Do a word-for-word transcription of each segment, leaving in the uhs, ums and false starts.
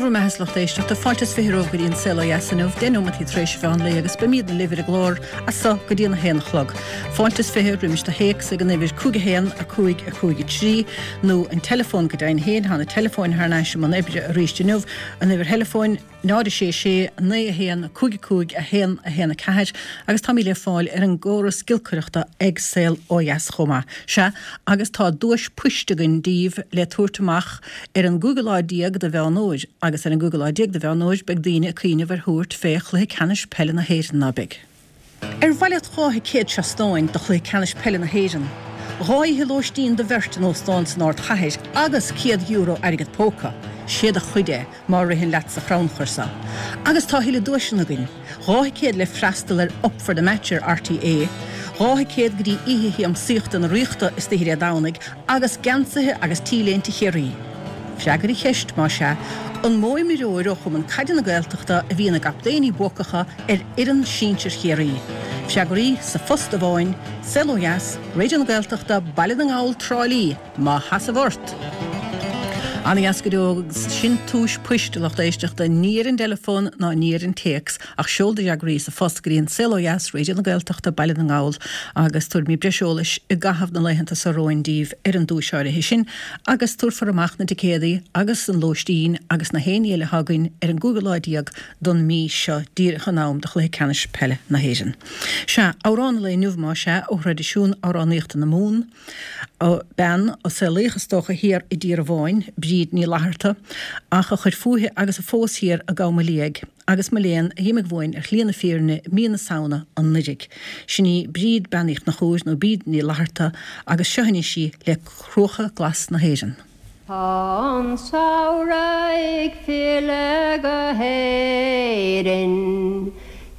bhur mbeatha, a lucht éisteachta, fáilte is fiche romhaibh go dtí an Saol Ó Dheas inniu, deich nóimeataí tar éis an mheán lae agus beimidne libh ar an gclár as so go dtí an a haon a chlog. Fáilte is fiche roimis do théacs ag an uimhir cúig a haon, a cúig, a cúig a trí, nó an teileafón go deimhin féin, tá na teileafóin thar n-ais i mbun oibre arís inniu, an uimhir theileafóin, náid a sé sé, naoi a haon, cúig a cúig, a haon, a haon a ceathair, agus táimid le fáil ar an gcóras giolcaireachta ag Saol Ó Dheas chomh maith. Sea, agus tá duais poist againn daoibh le tabhairt amach ar an gcúigiú lá déag de Mheán Fhómhair, agus ar an gcúigiú lá déag de Mheán Fhómhair beidh daoine ag cuimhneamh ar thabhairt fé Chluiche Ceannais Peile na hÉireann, ná beidh? Ar mhaith leat dhá thicéad seastáin do Chluiche Ceannais Peile na hÉireann, dhá oíche lóistín do bheirt in óstán san ardchathair agus céad euro airgead póca? Sé do chuid é má ritheann leat sa chrannchur seo. Agus tá a thuilleadh duaiseanna againn, dhá thicéad le freastal ar Up for the Match ar RTÉ, dhá thicéad go dtí Oíche Shiamsaíochta na Ríochta istoíche Dé Domhnaigh agus geansaithe agus T-léinte Chiarraí. Freagair an cheist, más ea, an mó imreoir ó Chumann Caide na Gaeltachta a bhí ina gcaptaeiní buacacha ar fhoireann sinsir Chiarraí? Freagraí sa phost amháin, Saol Ó Dheas, Raidió na Gaeltachta, Baile na nGall, Trá Lí, má sheasamh ort! Ana-dheas go deo agus sin tomhais poist, a lucht éisteachta, ní ar an dteileafón ná ní ar an téacs ach seol do fhreagraí sa phost go dtí an Saol Ó Dheas, Raidió na Gaeltachta, Baile na nGall agus tabharfaimid breis eolais i gcaitheamh na laethanta seo romhainn daoibh ar an duais áirithe sin agus tabharfar amach na ticéadaí agus an lóistín agus na haon ní eile atá againn ar an gcúigiú lá déag don mí seo díreach in am do Chluiche Ceannais Peile na hÉireann. Sea, amhrán an lae inniu más ea, ó thraidisiún amhránaíochta na Mumhan. Bean a saolaíodh is dócha thiar i dTír Amháin, Bríd Ní Fhlatharta, ach a chuir fúithi agus a phós thiar i gCom Liag, agus mo léan, a dh'imigh uainn ar shlí na fírinne i mí na Samhna anuiridh. Sin í Bríd Bean Uí Chonchúir nó Bríd Ní Fhlatharta agus seo anois í le Cruacha Glas na hÉireann. Tá an samhradh ag filleadh go hÉirinn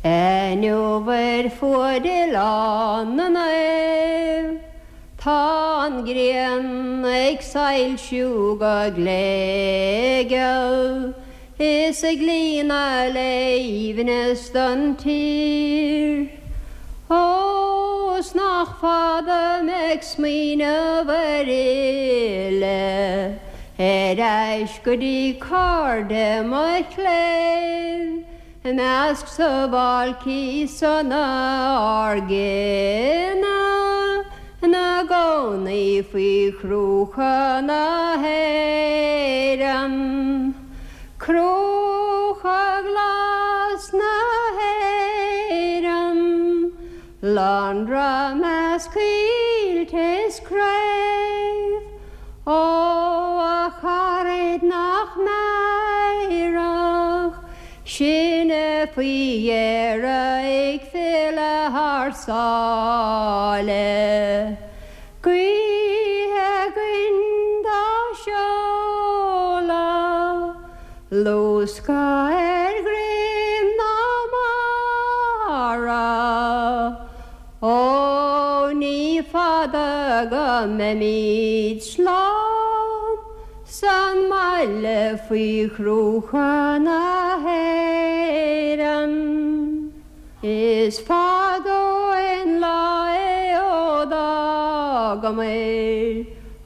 inniu ar fuaid Oileán na Naomh. Tá an ghrian ag soilsiú go gléigeal is ag líonadh le haoibhneas don tír. Ó, 's nach fada mé ag smaoineamh ar fhilleadh ar ais go dtí cairde mo chléibh i measc sabháilcí sona ár gcine ina gcónaí faoi chruacha na hÉireann. Cruacha glas na hÉireann, Lonradh i measc coillte is craobh, Ó, a charaid nach meidhreach sinne faoi dheireadh ag filleadh thar sáile. Gaoth againn dá seoladh, luascadh ar dhroim na mara. Ó, ní fada go mbeimid slán san mbaile faoi chruacha na hÉireann. Is fada ó shin lá é ó d'fhágamair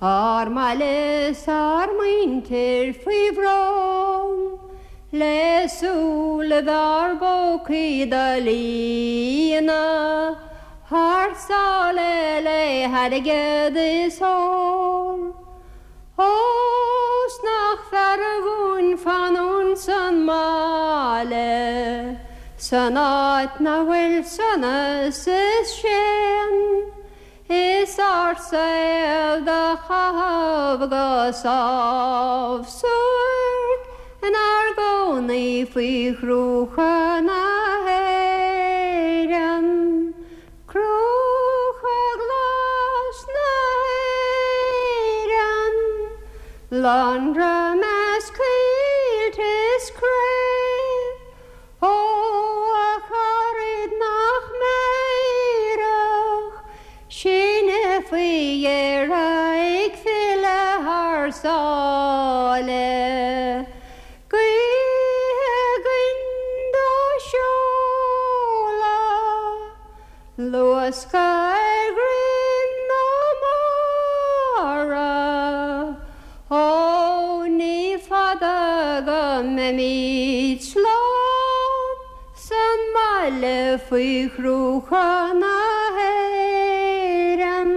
ár mbaile 's ár muintir faoi bhrón le súilibh ár bpócaí do líonadh thar sáile le hairgead is ór. Ó, 's nach fearra dhúinn fanúint san mbaile, san áit 'na bhfuil sonas is séan, is ár saol do chaitheamh go sámh suairc inár gcónaí faoi chruacha na hÉireann. Cruacha glas na hÉireann, Lonradh i measc coillte is craobh, Ó, a charaid nach meidhreach sinne faoi dheireadh ag filleadh thar sáile. Gaoth againn dá seoladh, luascadh ar dhroim na mara, Ó, ní fada go mbeimid. Fágfaimid slán san mbaile faoi chruacha na hÉireann.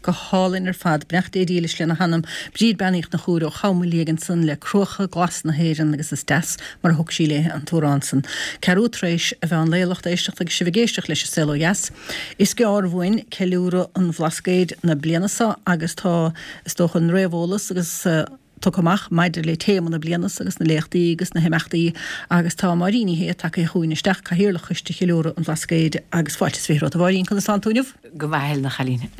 Go hálainn ar fad, beannacht Dé dílis lena hanam, Bríd Bean Uí Chonchúir ó Cham Liag ansan le Cruacha Glasa na hÉireann agus is deas mar a thug sí léi an t-amhrán san. Ceathrú tar éis a mheán lae, lucht éisteachta agus sibh ag éisteacht leis An Saol Ó Dheas. Is gearr uainn ceiliúradh an Bhlascaoid na bliana seo agus tá, is dócha, an réamheolas agus tugtha amach maidir le téama na bliana seo agus na léachtaí agus na himeachtaí agus tá Máirín Ní Shé tagtha chugainn isteach, Cathaoirleach Choiste Cheiliúradh an Bhlascaoid agus fáilte is fiche romhat a Mháirín, conas tánn tú inniu? Go maith a Helen a chailín.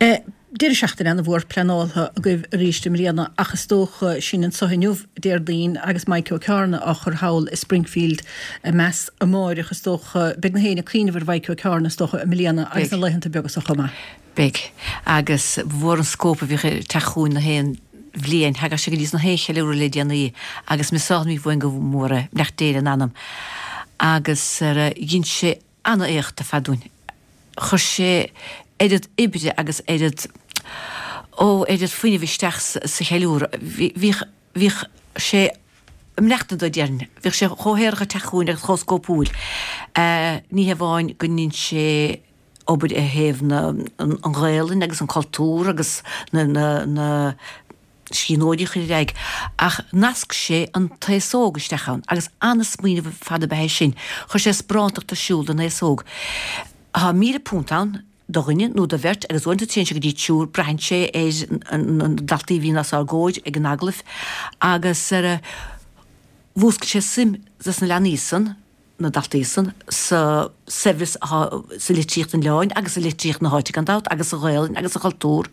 Deireadh seachtaine ana-mhór pleanáltha agaibh arís i mbliana ach is dócha sin anseo inniu, Déardaoin, agus Maidhc Ó Ceárna á chur thall i Springfield a mbeas amáireach is dócha. Beidh na héinne ag cuimhneamh ar Mhaidhc Ó Ceárna is dócha i mbliana agus na laethanta beaga seo chomh maith. Beidh. Agus ba mhór an scóip a bhíodh ag teacht chugainn na haon bhliain. Thagadh sé go dtí na haon cheiliúradh le déanaí agus measaimid uainn go mór é, beannacht Dé lena anam. Agus dhein sé ana-éacht ar fad dúinn. Chuir sé oiread oibre agus oiread, ó, oiread fuinnimh isteach sa cheiliúradh. Bhíodh, bhíodh sé ag maireachtaint dó, déarfainn. Bhíodh sé chomh haerach ag teacht chugainn agus chomh scópúil. Ní hamháin go ndein sé obair i thaobh na, an Ghaelainn agus an cultúr agus na, na, na scríbhneoirí a chur ar aghaidh, ach nasc sé an t-aos óg isteach ann agus ana-smaoineamh ar fad ab ea é sin. Chuir sé sparántacht ar siúl don aos óg. Tá míle punt ann do dhuine nó do bheirt agus uaireanta téann sé go dtí triúr, braitheann sé ar na daltaí a bhíonn os ár gcomhair ag an agallamh agus ar mhúscail sé suim dos na leanaí san, na daltaí san, sa saibhreas atá sa litríocht an oileáin agus sa litríocht na háite gan dabht agus sa Ghaelainn agus sa chultúr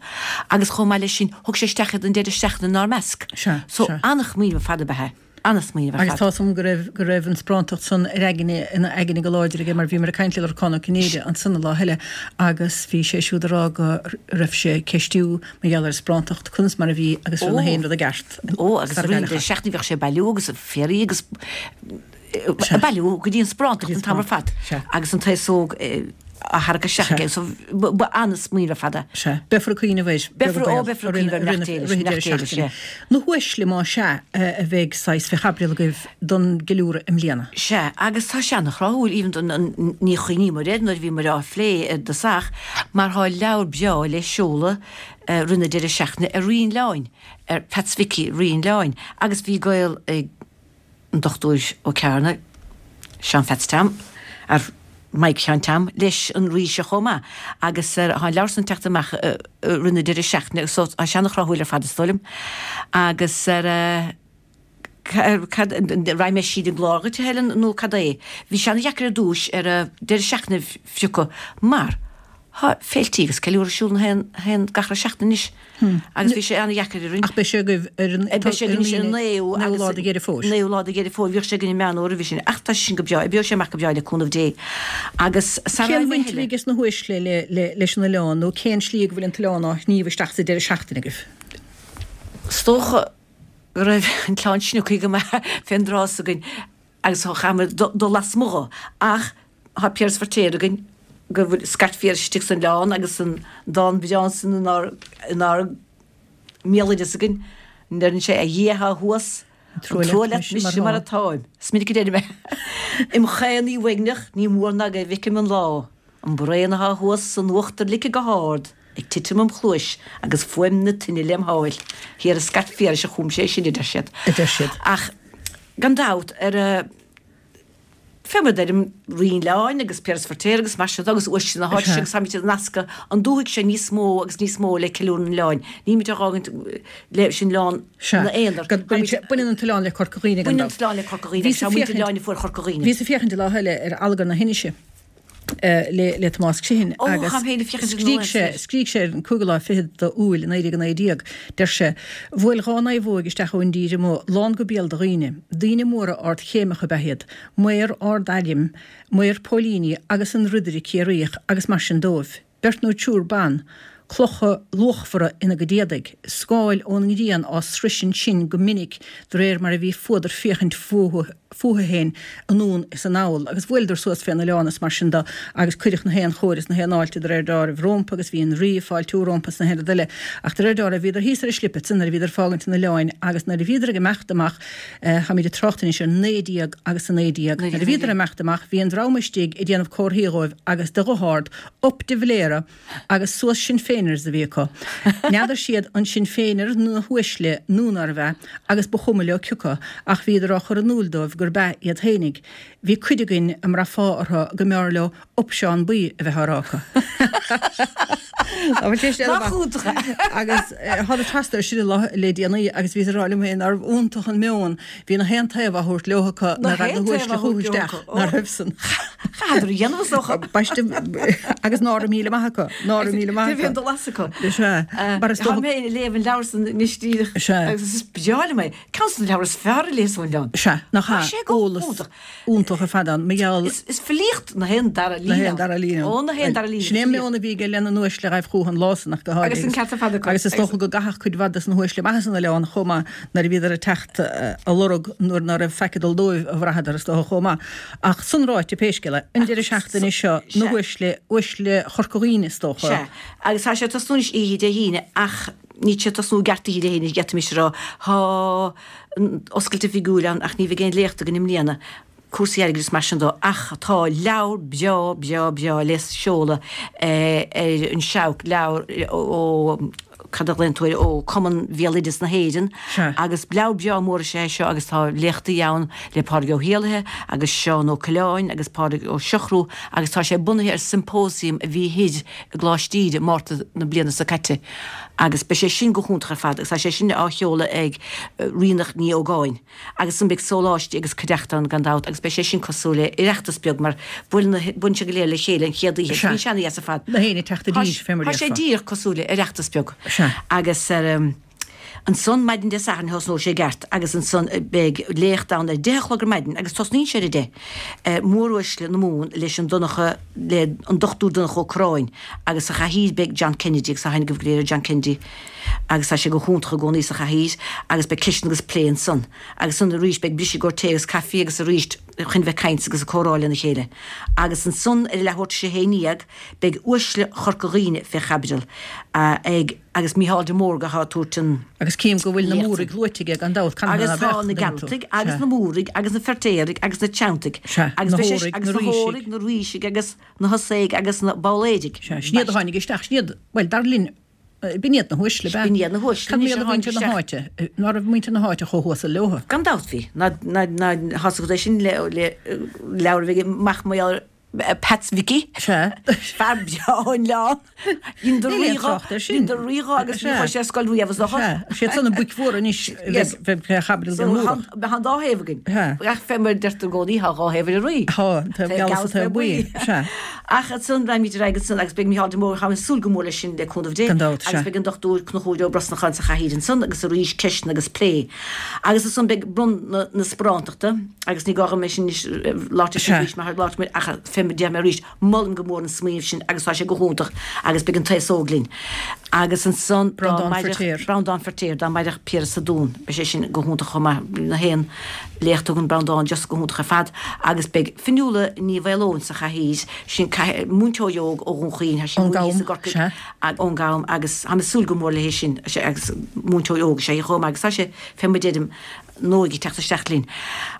agus chomh maith leis sin thug sé isteach iad an deireadh seachtaine inár measc. Sea, So sea. an-smaoineamh ar fad ab ea é. Ana-smaoineamh ar Agus fad. tá 's agam go raibh, go raibh an sparántacht san ar aigne, ina aigne go láidir aige mar bhíomar ag caint le Lorcán Ó Cinnéide ansan an lá eile agus bhí sé siúd ag rá go raibh sé ag ceistiú mar gheall ar an sparántacht, conas mar a bhí agus raibh na haon rud i gceart Ó, agus sara roinnt gcailleadh. seachtain bhíodh sé ag bailiú agus féaraí agus ag bailiú go dtí an sparántacht an t-am ar fad agus an t-aos óg á tharrac isteach aige so ba an-smaoineamh ar fad é. Sea. Beifear ag cuimhneamh air, beag Beifear, an ó, baol, beifear i ag rith cuimhneamh na air, rith na deireadh deireadh seachtaine. Na huaisle más ea a bheidh saghas fé chaibidil agaibh don gceiliúradh i mbliana. Sea, agus tá sé ana-thráthúil, even don, ní chuimhníomar air nuair a bhíomar á phlé i dtosach, mar tá leabhar breá le seoladh roimh na deireadh seachtaine ar Rí an Oileáin, ar Pheats Mhicí, Rí an Oileáin, agus bhí gaol ag an Dochtúir Ó Cearna, Seán Pheats Tom, ar Mike Sheáin Tom, leis an Rí seo chomh maith, agus tá an leabhar san ag teacht amach roimh na deireadh seachtaine so tá sé ana-thráthúil ar fad is dóigh liom. Agus ar cad, raghaidh mé síos an gclár dhuit a Helen nó cad é? Bhí sé ana-dheacair ar dtúis ar deireadh seachtaine a phiocadh mar Tá féiltí agus ceiliúradh ar siúl na haon haon gach re seachtain anois agus bhí sé an-dheacair orainn. Ach beidh sé agaibh ar an Beidh sé againn ar an naoú naoú lá de Dheireadh Fómhair. Naoú lá de Dheireadh Fómhair. Bhíodh sé againn i Meán Fhómhair roimhe sin ach tá sé sin go breá. Oibreoidh sé amach go breá le cúnamh Dé. Agus sara Cén raibh bhaint a bhí aige sna huaisle le le leis an oileán nó cén slí go bhfuil an t-oileán á shníomh isteach sa deireadh seachtaine agaibh? Is dócha go raibh an t-oileán snioctha go maith fén dtráth s'againn agus chaitheamar dul lasmuigh dho ach Tá Piaras Feirtéar againn go bhfuil scairt Phiarais istigh san oileán agus an dán breá san inár inár mbéaloideas againn, ndeireann sé, A Dhia athá thuas, An an trua trua leat leat mise mise mar mar atáim. atáim. Is minic a deirim é. Im chaonaí uaigneach ní mór ná go bhfeicim an lá, an braon athá thuas san uachtar ligthe go hard ag titim im chluais agus fuaim na toinne lem sháil. Thiar i Scairt Phiarais a chum sé sin, a deir siad. A deir siad. Ach gan dabht, ar a. Fé mar a deirim, Rí an Oileáin agus Piaras Feirtéar agus mar sin de agus uaisle na háite seo agus táimid ag nascadh an dúthaigh seo níos mó agus níos mó le ceiliúradh an oileáin. Nílimid á dh'fhágaint leis an oileán Sea. ina aonar. Baineann sé, baineann an t-oileán le Corca Dhuibhne gan Baineann an dabht. t-oileán le Corca Dhuibhne Bhíos agus tá ag muintir féachaint, oileáin a fuair Chorca Dhuibhne. bhíos ag féachaint an lá eile ar Allagar na hInise le le Tomás Criomhthain Ó, agus táim féin ag féachaint ar an scrígh sé, lá scrígh sé ar an cúigiú lá fichead d'Iúil naoi déag a naoi déag, deir sé, Bhuail dhá naomhóig isteach ón dtír amuigh, lán go béal de dhaoine. Daoine móra ardchéimeacha ab ea iad, maor ard-airm, maor póilíní agus an ridire Ciarraíoch agus mar sin dóibh. Beirt nó triúr ban, clocha luachmhara ina gcuid éadaigh, scáil ón ngrian á sroisint sinn go minic de réir mar a bhí fuadar féachaint fúthu fúthu féin anonn is anall agus bhuaileadar suas fén oileán is mar sin de agus cuireadh na haon chóir is na haon fháilte de réir deáraimh rómpa agus bhí an Rí ag fáiltiú rómpa is na haon rud eile ach de réir deáraimh bhíodar thíos ar an slip ansan nuair a bhíodar ag fágaint an oileáin agus nuair a bhíodar ag imeacht amach táimid ag trácht anois ar naoi déag agus a naoi déag nuair a bhíodar ag imeacht amach bhí an dream istigh ag déanamh comharthaí dhóibh agus de ghuth ard Up de Valera agus suas Sinn Féiners a bhí acu. N'fheadar siad an Sinn Féiners nó na huaisle nó nárbh ea agus ba chuma leo cioca ach bhíodar á chur in iúl dóibh gurb ea iad fhéinig. Bhí cuid againn a mbraithfeá orthu go mb'fhearr leo Up Seán Buí a bheith á rá acu. Nach iontach é? Agus thána trasna ar sin le déanaí agus bhíos ag rá liom féin nárbh iontach an meon. Bhí na haon taobh á thabhairt leo acu Na ná raibh haon na taobh huaisle á chucu thabhairt leo isteach acu. ná raibh san. Chaitheadar a dhéanamh is dócha. Baiste agus ná raibh míle maith acu. Ná raibh míle maith Bhí an acu. dul as acu. Sea. Mar is Tá dócha mé ag léamh an leabhar san anois díreach Sea. agus is breá liom é. Ceann de na leabhair is fearr a léas ón oileán. Sea, nach Tá ea, sé go eolas hiontach. iontach ar fad ann. Mar gheall Is, is filíocht na haon dara na líne. haon dara líne. Ó, na haon dara líne. Sin é an meon a bhí aige lena n-uaisle a ghaibh chucu an lá san ach go háirithe. Agus an ceart ar fad acu. Agus is dócha go gcaithfeadh cuid mhaith des na huaisle amach as an oileán chomh maith nuair a bhíodar ag teacht a lorg nuair ná raibh faic ag dul dóibh a bhraitheadar is dócha chomh maith. Ach san ráite pé scéal é, an deireadh seachtaine seo na Sea. huaisle, uaisle Chorca Dhuibhne is dócha. Sea. Agus tá sé ag tosnú anois oíche Dé hAoine ach níl sé ag tosnú i gceart oíche Dé hAoine, d'fhéadfaimis a rá. Tá an oscailt oifigiúil ann ach ní bheidh aon léacht againn i mbliana, cúrsaí airgid is mar sin dó, ach tá leabhar breá, breá, breá le seoladh ar an Seabhac, leabhar ó, cad a ghlaonn tú air, ó Cumann Bhéaloideas na hÉireann agus leabhar breá mór is ea é seo agus tá léachtaí ann le Pádraig Ó hÉallaithe agus Seán Ó Coileáin agus Pádraig Ó Siochrú agus tá sé bunaithe ar symposium a bhí thoir i gColáiste Íde Márta na bliana seo caite agus beidh sé sin go hiontach ar fad agus tá sé sin á sheoladh ag Ríonach Ní Ógáin agus ansan beidh sóláistí agus cuideachta ann gan dabht agus beidh sé sin cosúil le Oireachtas beag mar buaileann na buaileann siad go léir le chéile an chéad oíche. Sea. Bíonn sé ana-dheas ar fad. Na héinne ag teacht i Tá dtír, fé mar tá sé déarfá. díreach cosúil le Oireachtas beag. Sea. Agus ar um, ansan maidin Dé Sathairn thosnóidh sé i gceart agus ansan beidh léacht ann ar deich a chlog ar maidin agus tosnaíonn sé ar a deich. Móruaisle na Mumhan leis an Donncha le an Dochtúir Donncha Ó Corráin agus sa chathaoir beidh John Kennedy agus tá aithne agaibh go léir ar John Kennedy agus tá sé go hiontach i gcónaí sa chathaoir agus beidh ceisteanna agus plé ansan. Agus ansan arís beidh briseadh i gcomhair tae agus caife agus arís chun bheith caint agus ag comhrá lena chéile. Agus ansan ar a leathuair tar éis a haon dhéag beidh uaisle Chorca Dhuibhne fé chaibidil ag agus Mícheál de Mórdha atá ag tabhairt an Agus cím go bhfuil na léacht. Múraigh luaite aige gan dabht, canathain Agus ná tá beadh, na an dtuigeann tú? Gealtaigh agus Sea. na Múraigh agus na Feirtéaraigh agus na Teanntaigh. Sea, Agus na beidh sé hÓraigh, agus na na Rísigh. hÓraigh, na Rísigh agus na hOsaigh agus na Babhléidigh. Sea, sin iad a tháinig isteach, sin iad, bhuel, dar linn, b'in iad na huaisle, b'ea? B'in iad na huaisle Cad anois iad a a mhuintir tháinig na isteach. háite? Ná raibh muintir na háite chomh huasal leo? Gan dabht bhí. Ná, ná, ná, thosaigh é sin le, le leabhar a bhí ag mac mo Pats Mhicí. Sea. Fear breá an oileán. Dhein do Níl aon rí dhó, trácht air sin. dhein do rí dhó agus ní Sea. chuaigh sé ar scoil riamh is dócha. Sea, siad san na boic mhóra anois a Yes. bheidh fé chaibidil So den Mhúrach. tá an dá thaobh againn. Sea. Ach fé mar a deirtear i gcónaí, tá dhá thaobh ar an rí. Tá, an taobh Taobh geal geal is is an taobh taobh buí. buí. Sea. Ach ansan raghaimid ar aghaidh ansan agus beidh Mícheál de Mórdha, táim ag súil go mór leis sin le cúnamh Dé. Gan dabht, Agus sea. beidh an Dochtúir Conchúr Ó Brosnacháin sa chathaoir ansan agus arís ceisteanna agus plé. Agus ansan beidh bronnadh na, na sparántachta agus ní gá dom é sin anois labhairt Sea. arís mar labhairt mé ach fé mar deir mé arís, molaim go mór an smaoineamh sin agus tá sé go hiontach agus beidh an t-aos óg linn. Agus ansan dá Breandán maireadh- Feirtéar. Breandán Feirtéar, dá maireadh Piaras sa Dún, beidh sé sin go hiontach chomh maith, na haon léacht a thugann Breandán just go hiontach ar fad agus beidh Fionnuala Ní Mhaoileoin sa chathaoir, sin múinteoir óg ó Dhún Chaoin, tá sí Ón múinte gCam, sa gCorcaigh sea. ón gCam agus táim ag súil go mór léi sin agus múinteoir óg is ea í chomh maith agus tá sé fé mar deirim an óige ag teacht isteach linn.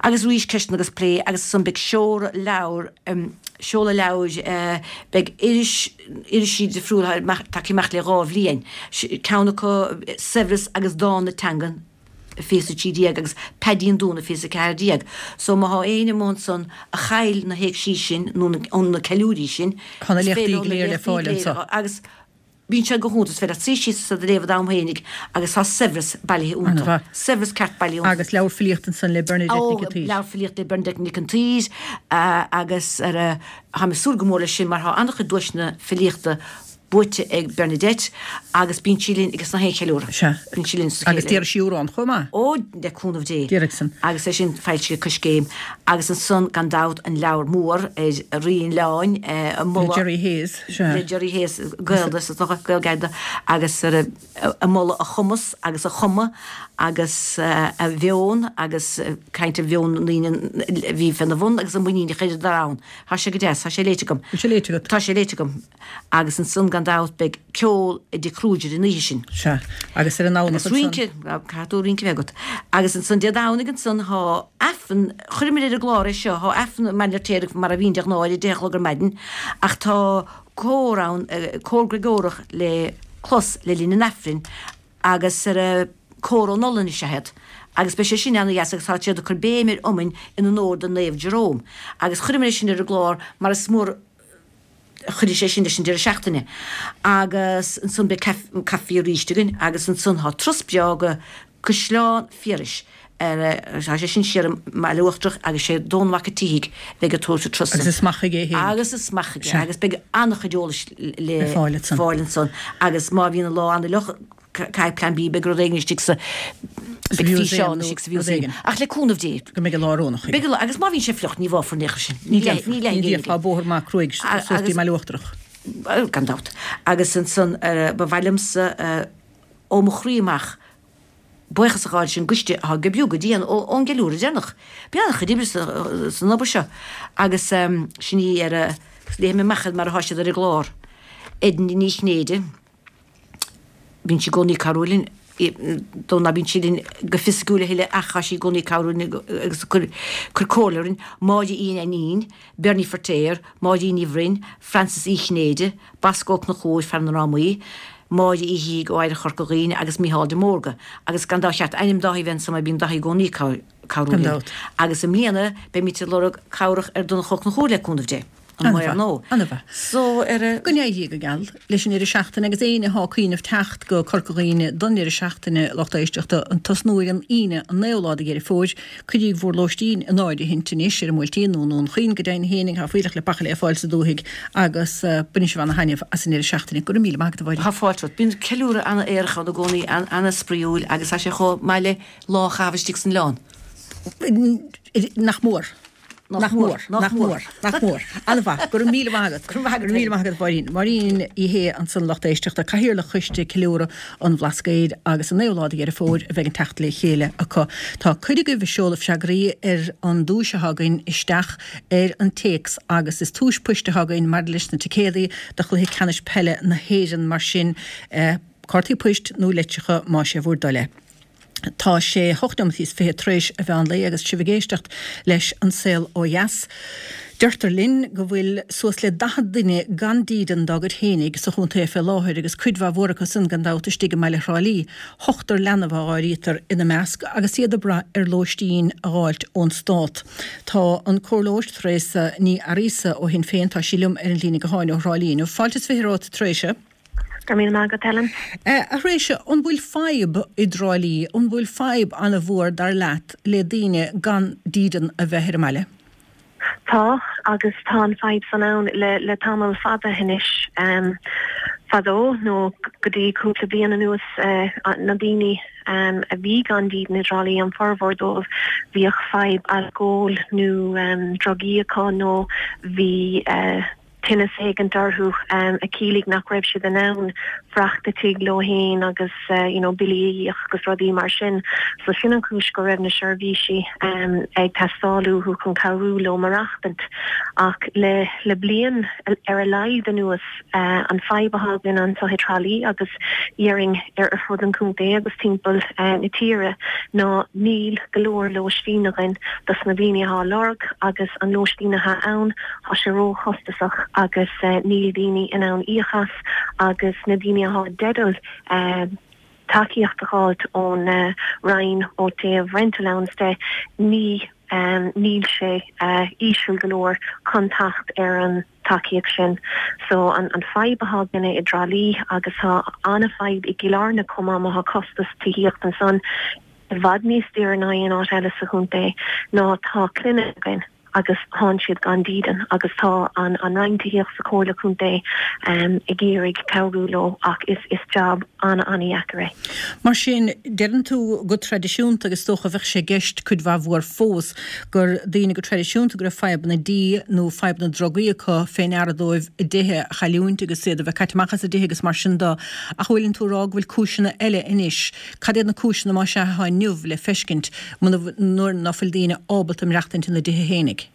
Agus arís ceisteanna agus plé agus ansan beidh seoladh leabhar, seoladh leabhair, beidh iris, irisí difriúla tagtha amach le dhá bhliain, ceann acu Saibhreas agus Dán na Teangan, fiche is a trí déag agus Paidí an Dúna fiche is a ceathair déag. So má thá éinne amuigh ansan a chaill na héigsí sin nó na ceiliúirí sin, Tá na is léachtaí féidir go na léir le léachtaí fáil go léir anso. agus bíonn sé go hiontach, is féidir leat suí síos is iad a léamh i d'am fhéinig agus tá saibhreas bailithe iontu. An-mhaith. Saibhreas ceart bailithe iontu. Agus leabhar filíochta ansan le Bernadette Nic an Ó, tSaoir. leabhar filíochta le Bernadette Nic an tSaoir agus ar a, táim ag súil go mór leis sin mar tá an-chuid duaiseanna filíochta buaite ag Bernadette agus bíonn sí linn agus na haon cheiliúradh. Sea. Bíonn sí linn sa Agus chéile. déarfaidh sí amhrán chomh maith. Ó, le cúnamh Dé. Déarfaidh san. Agus é sin foilsithe Coiscéim. Agus ansan gan dabht an leabhar mór ar Rí an Oileáin, ag moladh. Le Jerry Hayes, sea. Le Jerry Hayes, Gael de, is dócha, Gael Gallda, agus ar ag moladh a chumas agus a chuma agus a mheon agus caint ar mheon na ndaoine a bhí féna bhun agus an muinín a chuireadar ann. Tá sé go deas, tá sé léite agam. Tá sé léite agat. Tá sé léite agam. Agus ansan gan dabht beidh ceol i dTigh Kruger an oíche sin. Sea, agus ar an Domhnach Agus rince, caithfidh tú rince a bheith agat. Agus ansan Dé Domhnaigh ansan thá Aifreann, chuireamar ar an gclár é seo, thá Aifreann i mBaile an Fheirtéaraigh mar a bhíonn de ghnáth ar a deich a chlog ar maidin, ach tá cór ann, cór Gregórach le clos le linn an Aifrinn agus ar a cór ón Ollainn is ea iad. Agus beidh sé sin ana-dheas agus tá siad ag cur béim ar iomainn in onóir do Naomh Jerome. Agus chuireamar é sin ar an gclár mar is mór a chuirfidh sé sin leis an deireadh seachtaine. Agus ansan beidh caife arís againn agus ansan tá turas breá go Caisleán Phiarais ar, tá sé sin siar i mBaile Uachtarach agus sé Dónall Mac an tSíthigh a bheidh ag tabhairt an turas Agus is mac aige é féin. Agus is mac aige agus beidh an-chuid eolais le Le fáil ansan. fáil ansan agus má bhíonn an lá an-fhliuch caithfidh plean B, beidh rud éigin istigh sa beidh físeán istigh sa mhúsaem. Ach le cúnamh Dé. Go mbeidh an lá oiriúnach aige. Beidh an lá, agus má bhíonn sé fliuch ní bháfar in aon chor sinn. Ní déanfar, ní déanfar, tá bóthar maith cruaidh suas dtí an mBaile Uachtarach. Gan dabht. Agus ansan ba mhaith liomsa ó mo chroí amach buíochas a ghabháil leis an gcoiste atá ag oibriú go dian ón gceiliúradh deireanach. Bíonn an-chuid oibre san obair seo agus sin í ar a, léifidh mé amach iad mar atá siad ar an gclár. Edna Ní Chinnéide, bíonn sí i gcónaí ag cabhrú linn, dó ná bíonn sí linn go fisiciúil a thuilleadh ach tá sí i gcónaí ag cabhrú linn agus ag cur cur comhairle orainn, Máire Uí Ainnín, Bernie Feirtéar, Máirín Ní Bhroin, Frances Uí Chinnéide, Bosco Ó Conchúir, fear na ndrámaí, Máire Uí Shíthigh ó Oidhreacht Chorca Dhuibhne agus Mícheál de Mórdha. Agus gan dabht cheart ainm Dáithí a bheith ansan mar bíonn Dáithí i gcónaí ag cabhrú linn. Agus i mbliana beimid ag lorg cabhrach ar Donncha Ó Conchúir le cúnamh Dé. An maor nó. Ana-mhaith. So ar a. Go n-éirí go geal leis an ndeireadh seachtaine agus éinne atá ag cuimhneamh teacht go Corca Dhuibhne don deireadh seachtaine, lucht éisteachta, ag tosnú ar an Aoine an naoú lá de Dheireadh Fómhair, cuiríg bhur lóistín in áirithint anois ar an mBuailtín nó i nDún Chaoin go deimhin fhéinig, tá fuílleach le baicle le fáil sa dúthaigh agus bainfidh sibh ana-thaitneamh as an ndeireadh seachtaine. Go raibh míle maith agat a Mháirín. Tá fáilte romhat. Bíonn ceiliúradh ana-aerach ann i gcónaí, ana-spraíúil agus tá sé chomh maith le lá a chaitheamh istigh san oileán. Nach mór. Nach mór, nach mór, nach mór. An-mhaith. Go raibh míle maith agat. Go raibh maith agat. Go raibh míle maith agat, Máirín. Máirín Uí Shé ansan lucht éisteachta, Cathaoirleach Choiste Ceiliúradh an Bhlascaoid agus an naoú lá de Dheireadh Fómhair a bheidh an teacht le chéile acu. Tá cuid agaibh ag seoladh freagraí ar an duais atá againn isteach ar an téacs agus is tomhais poist atá againn maidir leis na ticéadaí do chluiche ceannais peile na hÉireann mar sin cártaí poist nó litreacha más é bhur dtoil é. Tá sé hocht nóiméad is fiche tar éis an mheán lae agus sibh ag éisteacht leis An Saol Ó Dheas. Deirtear linn go bhfuil suas le daichead duine gan dídean dá gcuid fhéinig sa chontae fé láthair agus cuid mhaith mhór acu san gan dabht istigh i mbaile Thrá Lí. Ochtar leanbh a áirítear ina measc agus iad ag brath ar lóistín a dh'fháilt ón Stát. Tá an Comhairleoir Treasa Ní Fhearghusa ó Shinn Féin, tá sí liom ar an líne gutháin ó Thrá Lí inniu. Fáilte is fiche romhat a Threasa. Go raibh míle maith agat, Helen. A Threasa, an bhfuil fadhb i dTrá Lí, an bhfuil fadhb an-mhór dar leat le daoine gan dídean a bheith ar an mbaile? Tá, agus tá an fadhb san ann le le tamall fada anois. Fadó, nó go dtí cúpla bliain anuas, na daoine a bhí gan dídean i dTrá Lí, an formhór dóibh, bhíodh fadhb alcóil nó drugaí acu nó bhí tinneas éigint orthu a chiallaigh nach raibh siad in ann fanacht i dtigh leo fhéin agus you know billí a íoc agus rudaí mar sin. So sin an chúis go raibh na seirbhísí ag teastáil uathu chun cabhrú leo maireachtaint. Ach le le bliain ar a laghad anuas an fadhb atá againn anseo i dTrá Lí agus dhéarfainn ar fud an chontae agus timpeall na tíre ná níl go leor lóistín againn dos na daoine atá á lorg agus an lóistín atá ann Tá sé róchostasach agus níl daoine in ann íoc as agus na daoine atá i dteideal tacaíocht a fháilt ón Roinn ó taobh rent allowance de, ní níl sé íseal go leor chun teacht ar an tacaíocht sin. So an fadhb atá againne i dTrá Lí agus tá an-fhadhb i gCill Airne chomh maith má tá costas tithíocht ansan i bhfad níos daoire ná aon áit eile sa chontae ná tá clainne againn. agus thánn siad gan dídean agus tá an an Roinn Tithíochta sa Chomhairle Contae um, ag iarraidh cabhrú leo ach is is job an-an-dheacair é. Mar sin deireann tú go traidisiúnta agus dócha bheadh sé i gceist cuid mhaith mhór fós gur daoine go traidisiúnta go raibh fadhbanna dí nó fadhbanna drugaí acu fé ndeara dóibh a dtithe a chailliúint agus iad a bheith caite amach as a dtithe agus mar sin de ach bhfuileann tú ag rá go bhfuil cúiseanna eile anois. Cad iad na cúiseanna más ea atá inniu le feiscint nuair ná fuil daoine ábalta maireachtaint ina dtithe fhéinig?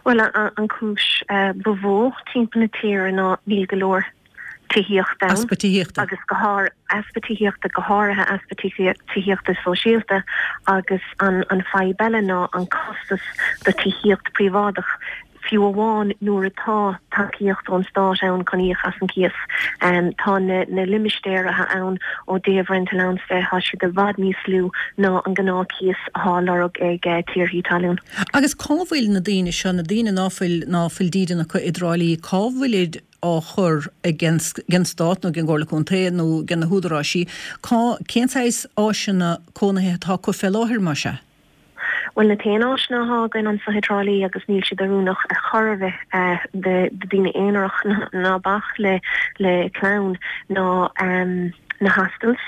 Well an chúis ba mhó timpeall na tíre ná níl go leor tithíochta Easpa tithíochta. agus go háir easpa tithíochta go háirithe easpa tithíochta sóisialta agus an an fadhb eile ná an costas do tithíocht príobháideach fiú amháin nuair atá tacaíocht ón stát ann chun íoc as an cíos. Um, tá na, na limistéir atá ann ó thaobh rent allowance de tá siad i bhfad níos lú ná an gnáthchíos atá á lorg ag uh, tiarnaí talún. Agus cá bhfuil na daoine seo na daoine ná fuil ná fuil dídean acu i dTrá Lí cá bhfuilid á chur ag an stát nó ag an gComhairle Contae nó ag na húdaráisí cá cén saghas áiseanna cónaithe atá acu fé láthair mar sin? Well na t-aon áiseanna atá againn anseo i dTrá Lí agus níl siad oiriúnach ar chor ar bith uh, de de daoine aonarach ná bac le le clann ná um, na hostels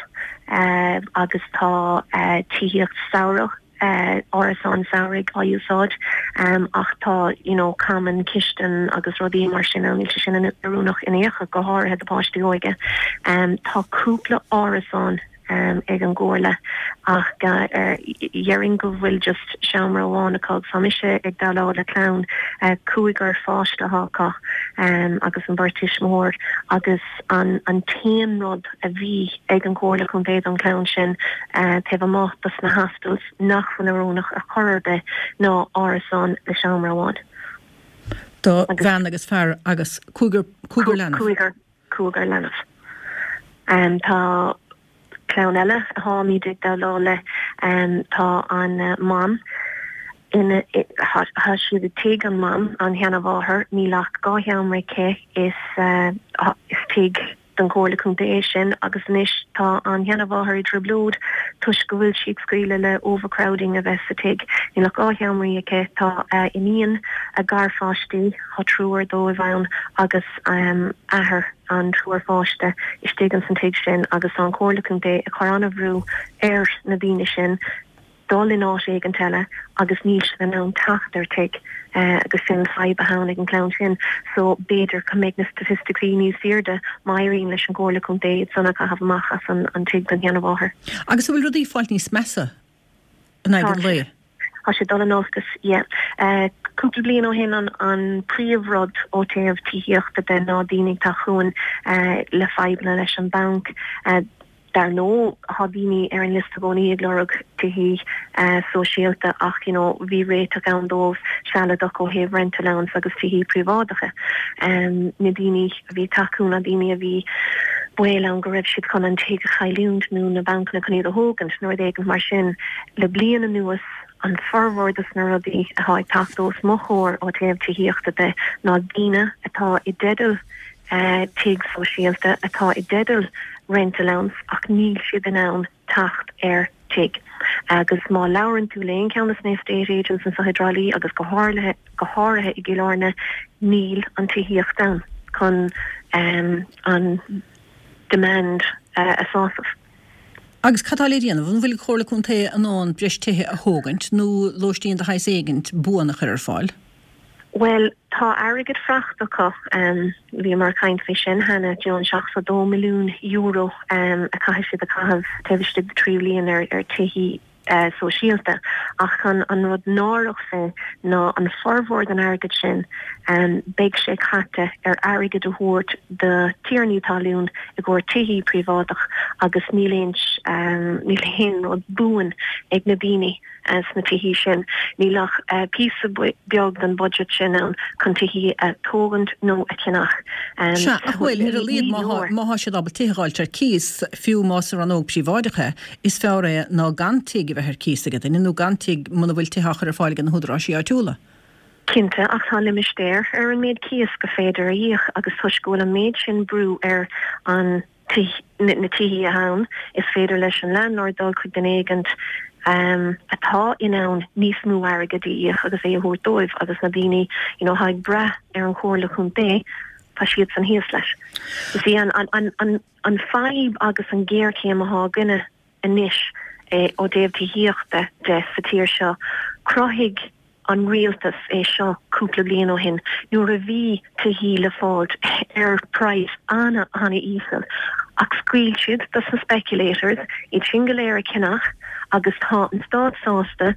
uh, agus tá uh, tithíocht samhradh uh, árasán samhraidh á úsáid um, ach tá you know, common kitchen agus rudaí mar sin ann níl sé sin oiriúnach in aon chor go háirithe do páistí óga. Um, tá cúpla árasán um, ag an gcomhairle ach déarfainn go bhfuil just seomra amháin acu tá mise ag déileáil le clann uh, cúigear pháiste acu um, agus an bheirt tuismitheoir agus an an t-aon rud a bhí ag an gComhairle Contae don chlann sin uh, taobh amuigh dos na hostels nach bhfuil oiriúnach ar chor ar bith ná árasán le seomra amháin. Do bhean agus fear agus cúigear cúigear leanbh. Cúigear cúigear leanbh. Um, tá clann eile atháimid ag déileáil le um, tá an uh, mam ina tá siad i tigh an mam an sheanmháthair níl ach dhá sheomra aici is uh, is tigh den Chomhairle Contae é sin agus anois tá an sheanmháthair i dtrioblóid toisc go bhfuil siad scaoileadh le overcrowding a bheith sa tigh. Níl ach dhá sheomra aici tá uh, iníon a garpháistí tá triúr dóibh ann agus um, athair an triúr pháiste istigh an san tigh sin agus an Chomhairle Contae ag cur an-bhrú ar na daoine sin dul in áit éigin eile agus níl siad in ann teacht ar tigh uh, agus sin fadhb atá ag an gclann sin so b'fhéidir go mbeidh na staitisticí níos airde má éiríonn leis an gComhairle Contae san a chaitheamh amach as an, an tigh don sheanmháthair. Agus bhfuil rudaí fáil níos measa in aghaidh an lae. Tá sé dul in olcas yeah. Uh, cúpla bliain ó shin an an príomhrud ó taobh tithíochta de ná daoine atá chugainn uh, le fadhbanna leis an banc uh, dar ndóigh tá daoine ar an liosta i gcónaí ag lorg tithe uh, sóisialta ach you know, bhí réiteach ann dóibh sealadach ó thaobh rent allowance agus tithe príobháideacha. Um, na daoine a bhí acu na daoine a bhí baol ann go raibh siad chun an tigh a chailliúint nó na bancanna chun iad a thógaint nó rud éigin mar sin le bliain anuas an formhór dos na rudaí atá ag teacht os mo chomhair ó taobh tithíochta de ná daoine atá i dteideal uh, tigh sóisialta atá i dteideal rent allowance ach níl siad in ann teacht ar tigh. Agus má labhrann tú le haon cheann des na estate agents anseo i dTrá Lí agus go háirithe go háirithe i gCill Airne níl an tithíocht ann chun um, an demand uh, a shásamh. Agus cad atá le déanamh an bhfuil Comhairle Contae in ann breis tithe a thógaint nó lóistín de shaghas éigint buan a chur ar fáil? Well tá airgead faighte acu um, bhíomar ag caint faoi sin cheana John seachtó dó milliún euro um, a chaithfidh siad a chaitheamh taobh istigh de trí bliana ar ar tithe uh, sóisialta ach an an rud náireach fé ná an formhór den airgead sin um, beidh sé caite ar airgead a thabhairt do thiarnaí talún i gcomhair tithe príobháideach agus níl aon um, níl aon rud buan ag na daoine uh, sna tithe sin. Níl ach uh, píosa beag den budget sin ann chun tithe a thógaint nó a cheannach. Um, Sea ach bhfuil ar a laghad má tá siad ábalta tithe a fháilt ar cíos fiú más ar rannóg príobháideacha is fearr é ná gan tigh a bheith ar cíos aige duine nó gan tigh muna bhfuil tithe á chur ar fáil ag na húdaráis áitiúla. Cinnte ach tá limistéir ar an méid cíos go féidir a íoc agus toisc go bhfuil an méid sin brú ar an na tithe ann is féidir leis an landlord dul chuig duine éigin atá in ann níos mó airgid a íoc agus é a thabhairt dóibh agus na daoine you know, atá ag brath ar an chomhairle chontae tá siad san thíos leis. Is í an, an, an, an, an fadhb agus an géarchéim atá againne anois eh, ó dtaobh tithíochta de sa tír seo, chruthaigh an rialtas é seo cúpla bliain ó shin nuair a bhí tithí le fáilt ar praghas ana ana íseal ach scaoil siad dos na speculators iad sin go léir a cheannach agus tá an stát sásta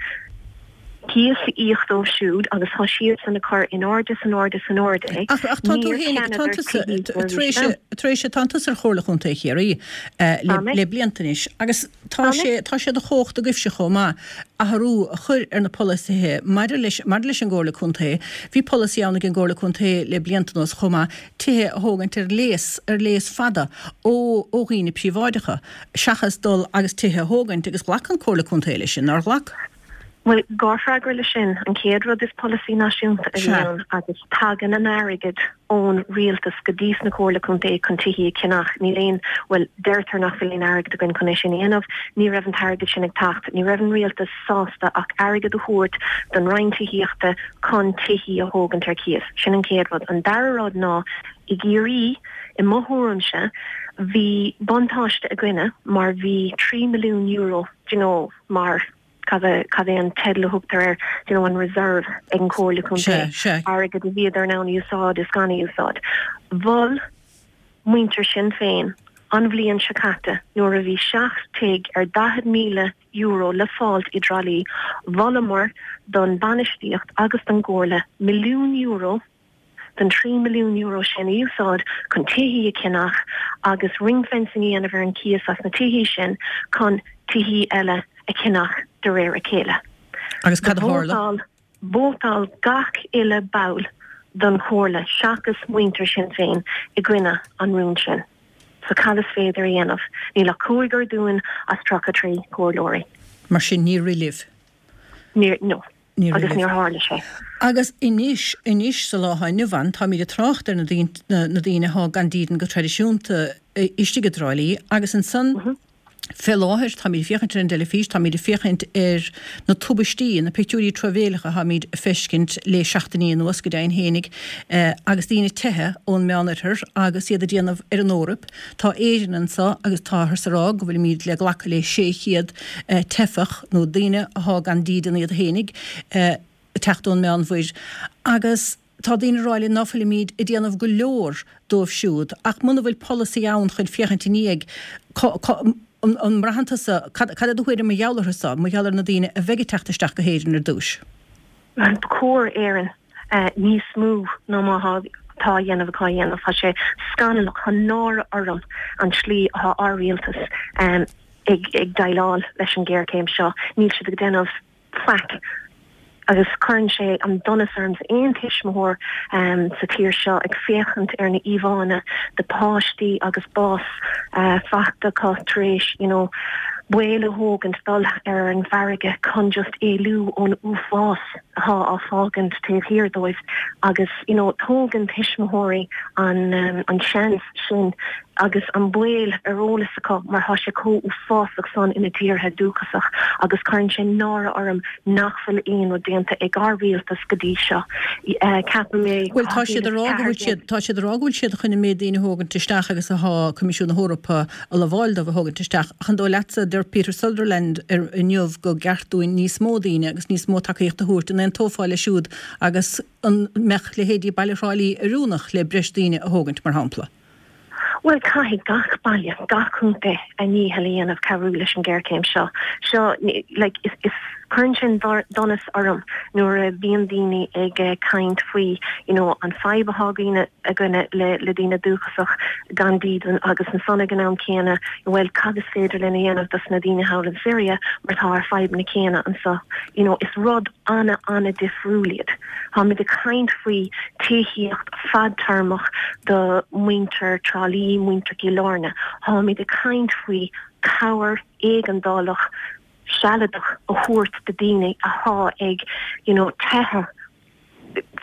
cíos a íoc dóibh siúd agus tá siad san ag cur in airde san airde san airde é. Ach ach tá tú Níor féin tá cheanadar tusa tithí tar éis tar éis tá tusa ar Chomhairle Chontae Chiarraí eh, le Tá mé. le blianta anois agus tá Tá mé. sé tá sé de chumhacht agaibhse chomh maith athrú a chur ar na polasaithe maidir leis maidir leis an gComhairle Contae. Bhí polasaí ann ag an gComhairle Contae le blianta anuas chomh maith tithe a thógaint ar léas ar léas fada ó ó dhaoine príobháideacha seachas dul agus tithe a thógaint agus ghlac an Comhairle Contae leis sin nár ghlac. Well, dhá fhreagra le sin an chéad rud is polasaí náisiúnta a bhí Sea. ann agus tagann an airgead ón rialtas go dtí na comhairle contae chun tithí a cheannach níl aon well deirtear nach bhfuil aon airgead againn chun é sin a dhéanamh, ní raibh an t-airgead sin ag teacht, ní raibh an rialtas sásta ach airgead a thabhairt don Roinn Tithíochta chun tithí a thógaint ar cíos. Sin an chéad rud. An dara rud ná i gCiarraí i mo thuairimse bhí buntáiste againne mar bhí trí milliún euro you know, mar cad é cad é an teideal a thugtar air you know, an reserve ag an Chomhairle Contae Sea, sea. airgead a bhíodar in ann úsáid is gan úsáid. Mhol muintir Sinn Féin an bhliain seo caite nuair a bhí seacht tigh ar daichead míle euro le fáilt i dTrá Lí, mholamar don bainistíocht agus don gComhairle milliún euro den trí milliún euro sin a úsáid chun tithí a cheannach agus ring fencing a dhéanamh ar an cíos as na tithí sin chun tithí eile a cheannach de réir a chéile. Agus cad a tharla? Vótáil gach uile ball don chomhairle seachas muintir Sinn Féin i gcoinne an rún sin. So cad is féidir a dhéanamh, níl ach cúigear dúinn as tríocha trí comhairleoirí. Mar sin níor rith libh. Níor no. Níor agus rith libh. níor tharla sé. Agus anois anois sa lá inniu ann táimid ag trácht ar na daoine na, na daoine atá gan dídean go traidisiúnta eh, istigh i dTrá Lí agus ansan mm -hmm. Fé láthair táimid féachaint ar an teilifís, táimid féachaint ar na tubaistí na pictiúirí truamhéileacha táimid feiscint le seachtainí anuas go deimhin fhéinig eh, agus daoine ag teitheadh ón Meánoirthear agus iad ag déanamh ar an Eoraip. Tá Éirinn anseo agus táthar ag rá go bhfuilimid le glacadh le sé chéad eh, teifeach nó daoine atá gan dídean iad fhéinig eh, teacht ón Meánmhuir. Agus tá daoine ag rá nach bhfuilimid ag déanamh go leor dóibh siúd, ach muna bhfuil polasaí ann chun féachaint i ndiaidh an, an mbraitheann tusa cad cad é do thuairim mar gheall orthu seo, mar gheall ar na daoine a bheidh ag teacht isteach go hÉirinn ar dtús. Ba chóir Éirinn uh, níos mó ná má tá tá dhéanamh cá dhéanamh Tá sé scannalach tá náire orm an tslí atá ár rialtas um, ag, ag déileáil leis an géarchéim seo, níl siad ag déanamh faic agus cuireann sé an donas orm aon tuismitheoir um, sa tír seo ag féachaint ar na íomhánna de páistí agus bás uh, fachta acu tar éis you know, baol a thógaint dul ar an bhfarraige chun just éalú ón uafás atá á fágaint taobh thiar dóibh agus you know, tógann tuismitheoirí an um, an seans sin agus an baol ar eolas acu mar tá sé chomh uafásach san ina dtíortha dúchasach agus cuireann sé náire orm nach bhfuil aon rud déanta ag ár rialtas go dtí seo. Uh, Ceapaim mé Well tá siad ag rá go bhfuil siad tá siad ag rá go bhfuil siad chun an méid daoine a thógaint isteach agus atá Coimisiún na hEorpa a lamháil dóibh a thógaint isteach. Ach an dóigh leatsa deir Peter Sutherland ar inniu gur ceart dúinn níos mó daoine agus níos mó tacaíocht a thabhairt an aontófá leis siúd agus an mbeadh leithéidí baile Thrá Lí oiriúnach le breis daoine a thógaint mar shampla. Well caithfidh gach baile gach contae a ndícheall a dhéanamh cabhrú leis an géarchéim seo. Seo like, is, is cuireann sin donas orm nuair a bhíonn daoine ag uh, caint faoi you know, an fadhb atá againne againne le, le daoine dúchasach gan dídean agus ansan ag an am céanna well cad is féidir linn a dhéanamh dos na daoine thall in Syria mar tá ar fadhb na céanna anseo you know, is rud ana ana difriúil iad. Táimid ag caint faoi tithíocht fadtéarmach do muintir Trá Lí muintir Chill Airne. Táimid ag caint faoi cabhair éigeandálach sealadach a thabhairt do daoine atá ag you know, teitheadh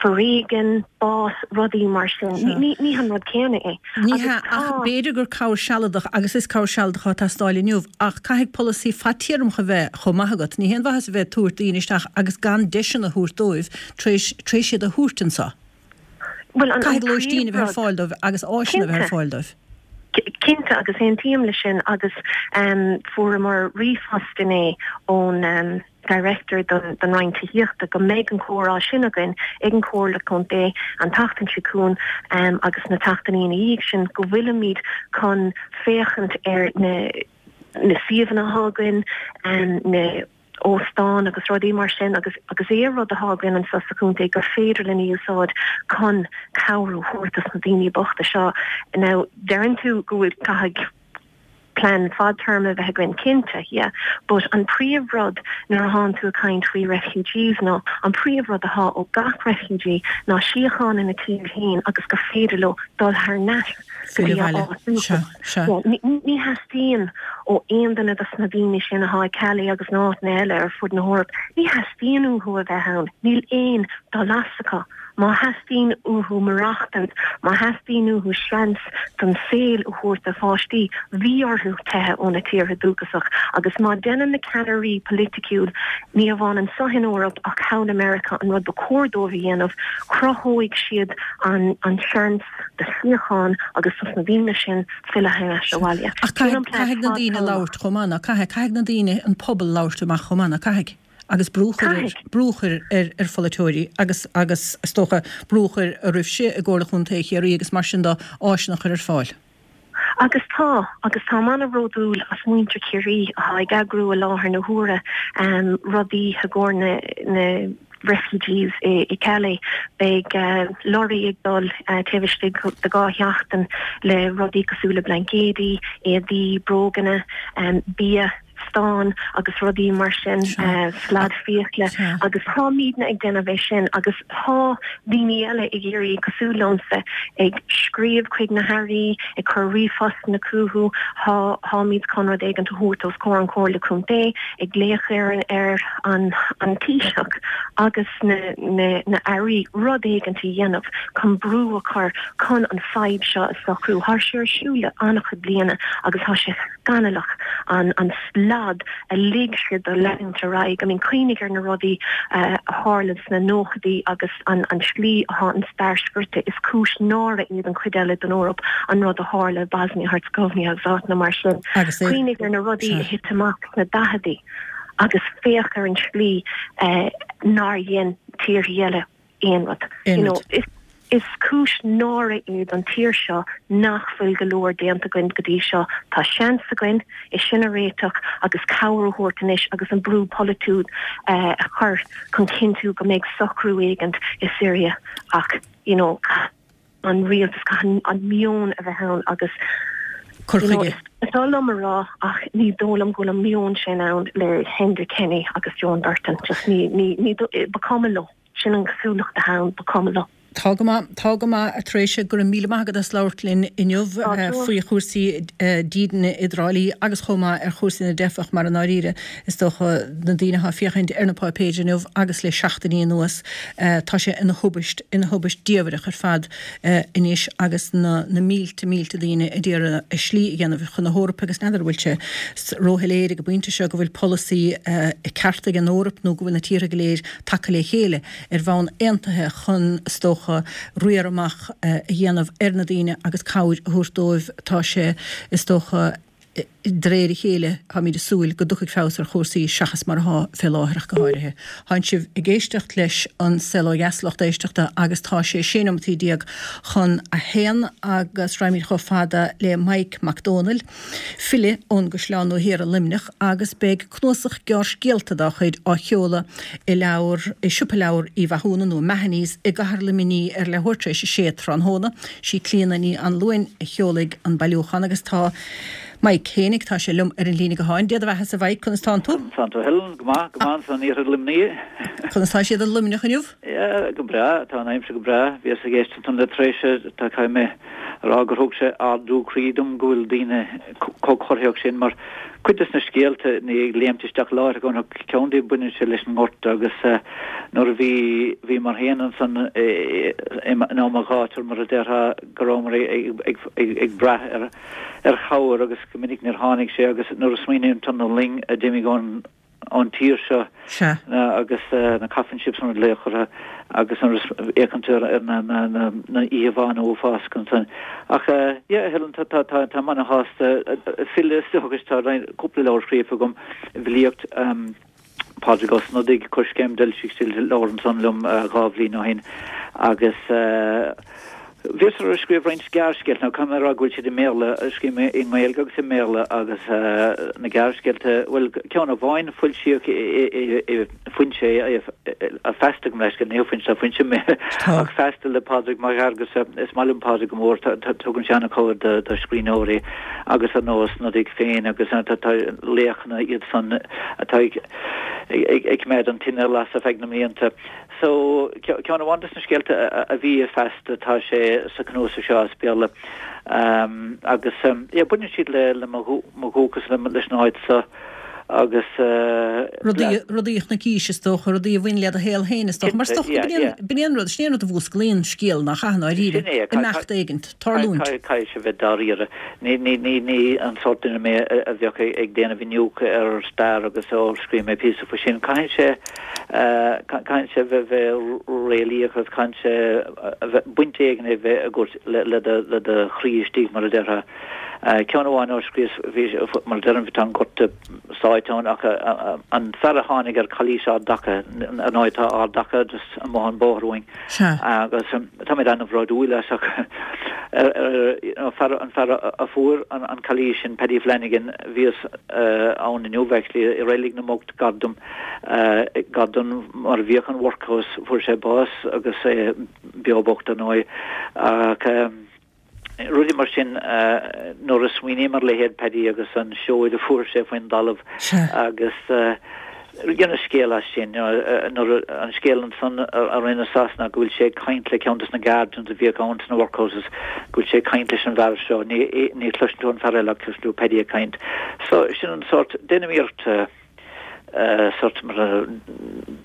foréigean, bás, rudaí mar sin. Ní ní han rud céanna é. Ní hea, ach b'fhéidir gur cabhair sealadach, agus is cabhair sealadach atá ag teastáil inniu, ach caithfidh polasaí fadtéarmach a bheith chomh maith agat. Ní haon mhaitheas a bheith ag tabhairt daoine isteach agus gan deiseanna a thabhairt dóibh tar éis tar éis iad a thabhairt anseo. Bhuel, an Caithfidh lóistín a bheith ar príomhrud, fáil dóibh agus áiseanna a bheith ar cinnte, fáil dóibh. Cinnte, agus aontaím leis sin agus fuaireamar ríomhphost inné ón Director don don Roinn Tithíochta go mbeidh an comhrá sin againn ag an Comhairle Contae an tseachtain seo chugainn agus na tseachtainí ina dhiaidh sin go bhfuilimid chun féachaint ar na na suíomhanna atá againn, na óstáin agus rudaí mar sin agus agus aon rud atá againn anseo sa chontae gur féidir linn a úsáid chun cabhrú a thabhairt dos na daoine bochta seo. Now deireann tú go bhfuil caithfidh plean fadtéarma a bheith againn cinnte, yeah, but an príomhrud nuair a thánn tú ag caint faoi refugees ná an príomhrud atá ó gach refugee ná síocháin ina tír féin agus gur féidir leo dul thar n-ais go dtí Filleadh a abhaile. áit Sea, dúchais. sea. Yeah, ní ní theastaíonn ó aon duine dos na daoine sin atá i Calais agus na áiteanna eile ar fud na hEorpa, ní theastaíonn uathu a bheith ann, níl aon dul as acu. Má theastaíonn uathu maireachtaint, má theastaíonn uathu seans don saol a thabhairt do pháistí, bhí orthu teitheadh óna tíortha dúchasach. Agus má déanann na ceannairí politiciúil, ní amháin anseo in Eoraip ach thall i Meiriceá, an rud ba chóir dóibh a dhéanamh, cruthóidh siad an an seans do shíocháin agus dos na daoine sin filleadh thar ais abhaile. Ach Sin an caithfidh, plean caithfidh na daoine fadtéarmach. labhairt chomh maith, ná caithfidh, caithfidh na daoine, an pobal labhairt amach chomh maith, ná caithfidh? Agus brú a chur ar, Caithfidh. brú a chur ar, ar pholaiteoirí agus, agus is dócha brú a chur oraibhse i gComhairle Chontae Chiarraí agus mar sin de áiseanna a chur ar fáil. Agus tá, agus táim an-bhródúil as muintir Chiarraí atá ag eagrú i láthair na huaire rudaí i gcomhair na, na refugees i, i Calais. Beidh lorraí ag dul taobh istigh de dhá sheachtain le rudaí cosúil le blaincéidí, éadaí, bróganna, bia, stán agus rudaí mar sin, slad fiacla agus táimidne ag déanamh é sin agus tá daoine eile ag iarraidh cosúil liomsa ag scríobh chuig na hairí, ag cur ríomhphostanna chucu, tá táimid chun rud éigin a thabhairt os comhair an Chomhairle Contae, ag glaoch ar an ar an an Taoiseach agus na na na airí rud éigin a dhéanamh chun brú a chur chun an fadhb seo a socrú. Tá sé ar siúl le an-chuid bliana agus tá sé scannalach an an slad a lig siad do leanúint ar aghaidh. I mean cuimhnigh ar na rudaí a tharla sna nóchaidí agus an an slí atá an stair scrite is cúis náire iad an chuid eile den Eoraip an rud a tharla Bosnia Herzegovina agus áiteanna mar sin. Agus é Cuimhnigh ar na rudaí sea. a thit amach sna daicheadaí agus féach ar an slí eh, nár dhein tíortha eile aon rud. Aon You know, rud. is is cúis náire é don tír seo nach bhfuil go leor déanta againn go dtí seo. Tá seans againn é sin a réiteach agus cabhair a thabhairt anois agus an brú polaitiúil eh, a chur chun cinntiú go mbeidh socrú éigin i Syria ach you know, an rialtas an, an meon a bheith ann agus Cur you know, chuige. is oth liom a rá ach ní dóigh liom go bhfuil an meon sin ann le Enda Kenny agus Joan Burton just ní ní ní ba chuma leo sin an chosúlacht atá ann ba chuma leo. Tá go maith tá go maith a Thréise go raibh míle maith agat as labhairt linn inniu faoi chúrsaí dídine i dTrá Lí agus chomh maith ar chúrsaí na dteifeach mar i ndáiríre is dócha na daoine atá ag féachaint ar na páipéir inniu agus le seachtainí anuas tá sé ina thubaist ina thubaist diamhrach ar fad anois agus na na mílte mílte daoine a d'iarraidh a slí a dhéanamh chun na hEorpa agus n'fheadar bhfuil sé róshoiléir ag an bpointe seo go bhfuil polasaí ceart ag an Eoraip nó go bhfuil na tíortha go léir tagtha le chéile ar bhonn aontaithe chun is dócha riar amach a dhéanamh ar na daoine agus cabhair a thabhairt dóibh tá sé is dócha de réir a chéile táimid ag súil go dtiocfaidh feabhas ar chúrsaí seachas mar atá fé láthair ach go háirithe. Tá sibh ag éisteacht leis an Saol Ó Dheas lucht éisteachta agus tá sé sé nóiméad déag chun a haon agus raghaimid chomh fada le Mike Mac Dónaill, file ón gCaisleán Nua Thiar i Luimneach agus beidh cnuasach gearrscéalta dá chuid á sheoladh i leabhar i siopa leabhar Uí Mhathúna nó Mahony's i gcathair Luimnigh ar leathuair tar éis a sé tráthnóna. Sí Clíona Ní Anluain a sheolfaidh an bailiúchán agus tá Mike Hénig tá sé liom ar an líne gutháin. Dia do bheatha a Mhike conas tánn tú? Tá tú Helen go maith go maith san iarthar Luimnigh. Conas tá siad i Luimneach inniu? Ja go breá tá an aimsir go breá bhíos ag éisteacht le tréise tá caiim mé rá gur thug sé ardú croí dom go bhfuil daoine chomh corraitheach sin mar cuid des na scéalta ní ag léimt isteach láithreach ann ach ceann díobh baineann sé leis an ngorta agus nuair a bhí bhíomar féin ansan in am an ghátair mar a déarfá go rabhamar ag brath ar ar chabhair agus go minic níor tháinig sé agus nuair a smaoiníonn tú ar na loing a d'imigh ón ón tír seo agus na coffin ships mar a glaodh orthu agus nuair a fhéachann tú ar na na na íomhánna uafásacha ansan. Ach yeah a Helen tá tá tá táim ana-shásta file is dócha tá roinnt cúpla leabhar scríofa agam i bhfilíocht Pádraig Ó Snodaigh, Coiscéim, d'fhoilsigh sé leabhar ansan liom dhá bhliain ó shin agus Bhíos ag scríobh roinnt gearrscéalta, now caithfidh mé a rá go bhfuil siad i mBéarla, scríobh mé i nGaeilge agus i mBéarla agus na gearrscéalta, bhuel ceann amháin foilsíodh i Foinse é, Feasta gabh mo leithscéal, ní Foinse, tá Foinse ach Feasta le Pádraig Mac Fhearghusa, is maith liom Pádraig go mór, tugann sé an-chabhair do scríbhneoirí agus ar ndóigh Ó Snodaigh féin agus tá laochanna iad san atá ag coimeád an tine las ar feadh na mblianta. So, ceann amháin des na scéalta a bhí i Feasta, tá sé sa chnuasach seo as Béarla. Agus, yeah, baineann siad le le mo dhúchas, leis an áit seo agus. Rudaí, rudaí a chonaicís, is dócha, rudaí a bhain le do shaol féin, is dócha. Mar is dócha go b'in é an rud, sin é an rud a mhúsclaíonn scéal, nach ea, i ndáiríre, imeacht éigint, tarlúint. Caithfidh sé bheith dáiríre. Ní, ní, ní, ní an sórt duine mé a bheadh ag déanamh iniúchadh ar stair agus ó scríobh mé píosa faoi sin. Caithfidh sé. Caithfidh sé bheith réalaíoch agus caithfidh sé bheith baint éigin a bheith agat le do chroí istigh, mar a déarfá. Ceann amháin a scríos, bhí, mar a deirim, tá an gorta sáite ann ach an fear a tháinig ar Chailís Ard Acha, ar ndóigh tá Ard Acha just amuigh an bóthar uainn agus táimid an-bhródúil as ach an fear a fuair an chailís sin, Paddy Flanagan, bhíos ann inniu actually i Reilig na mBocht gar dom, gar don mar a bhíodh an workhouse, fuair sé bás agus é beo bocht ar ndóigh. Ach rudaí mar sin, nuair a smaoiním ar leithéid Paddy agus an seoid a fuair sé faoin dtalamh agus dhéanas scéal as sin, nuair an scéal ansan a rinne Sasana go bhfuil sé ag caint le ceann des na guardians a bhíodh ann sna workhouses, go bhfuil sé ag caint leis an bhfear seo, ní ní chloiseann tú an fear eile ach cloiseann tú Paddy ag caint. So sin an sórt, déanaim iarracht sórt mar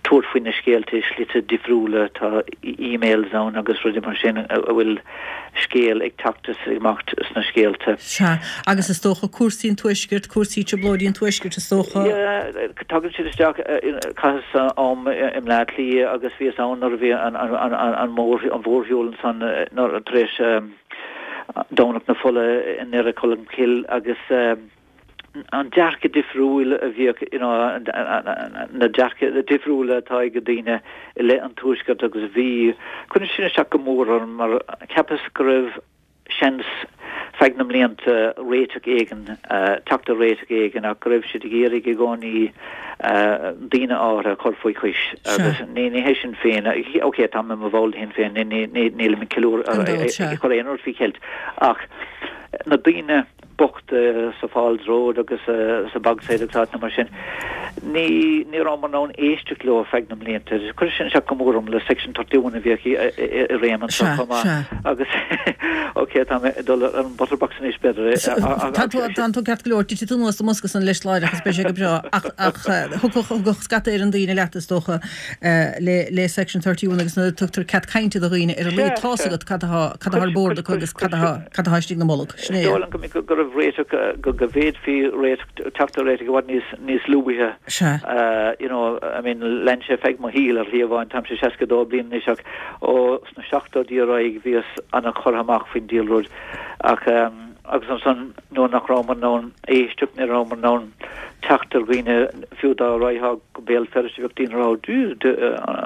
tabhairt faoi na scéalta i slite difriúla, tá emails ann agus rudaí mar sin a bhfuil scéal ag teacht is ag imeacht sna scéalta. Sea, agus is dócha cúrsaí an Tuaiscirt, cúrsaí trioblóidí an Tuaiscirt is dócha. Yeah, tagann siad isteach, chaitheas am i mBleá Cliath agus bhíos ann nuair a bhí an mhórshiúl ansan tar éis Domhnach na Fola i nDoire Cholm Cille agus an dearcadh difriúil a bhíodh, you know, na dearcadh difriúla atá ag daoine i leith an Tuaiscirt agus bhí, chuir sin isteach go mór orm mar cheapas go raibh seans feadh na mblianta réiteach éigin, teacht ar réiteach éigin ach go raibh siad ag iarraidh i gcónaí daoine áirithe a chur faoi chois agus ní ní hé sin féin, ok táim i mo bhall de Shinn Féin, ní ní nílim ag ceiliúradh, ag cur aon rud faoi cheilt ach na daoine bochta sa Falls Road agus sa Bogside agus áiteanna mar sin. Ní ní rabhamar in ann éisteacht leo ar feadh na mblianta. Chuir sin isteach go mór orm le Section thirty one a bhíodh i réim anseo chomh maith agus ok tá mé ag dul ar an bhutterbox anois b'fhéidir. Tá tú tá tú ceart go leor, titfidh tú anuas sa mbosca san leis láithreach is beidh sé go breá ach ach thiocfadh thiocfadh scata ar an daoine leat is dócha le le Section thirty one agus nuair a tugtar cead cainte do dhaoine ar a laghad tá's agat cad atá cad atá ar bord acu agus cad atá cad atá istigh ina mbolg. Sin é. Is dóigh liom go go raibh réiteach, go bhféadfaí réiteach, teacht ar réiteach i bhfad níos, níos luaithe. Sea. You know, I mean, lean sé feadh mo shaoil ar shlí amháin, táimse seasca dó bliain anois ach ó sna seachtóidí ar aghaidh bhíos ana-churtha amach faoin diabhal rud ach agus ansan nuair nach rabhamar in ann éisteacht, ní rabhamar in ann teacht ar dhaoine fiú dá raghfá go Béal Feirste bheadh daoine ag rá,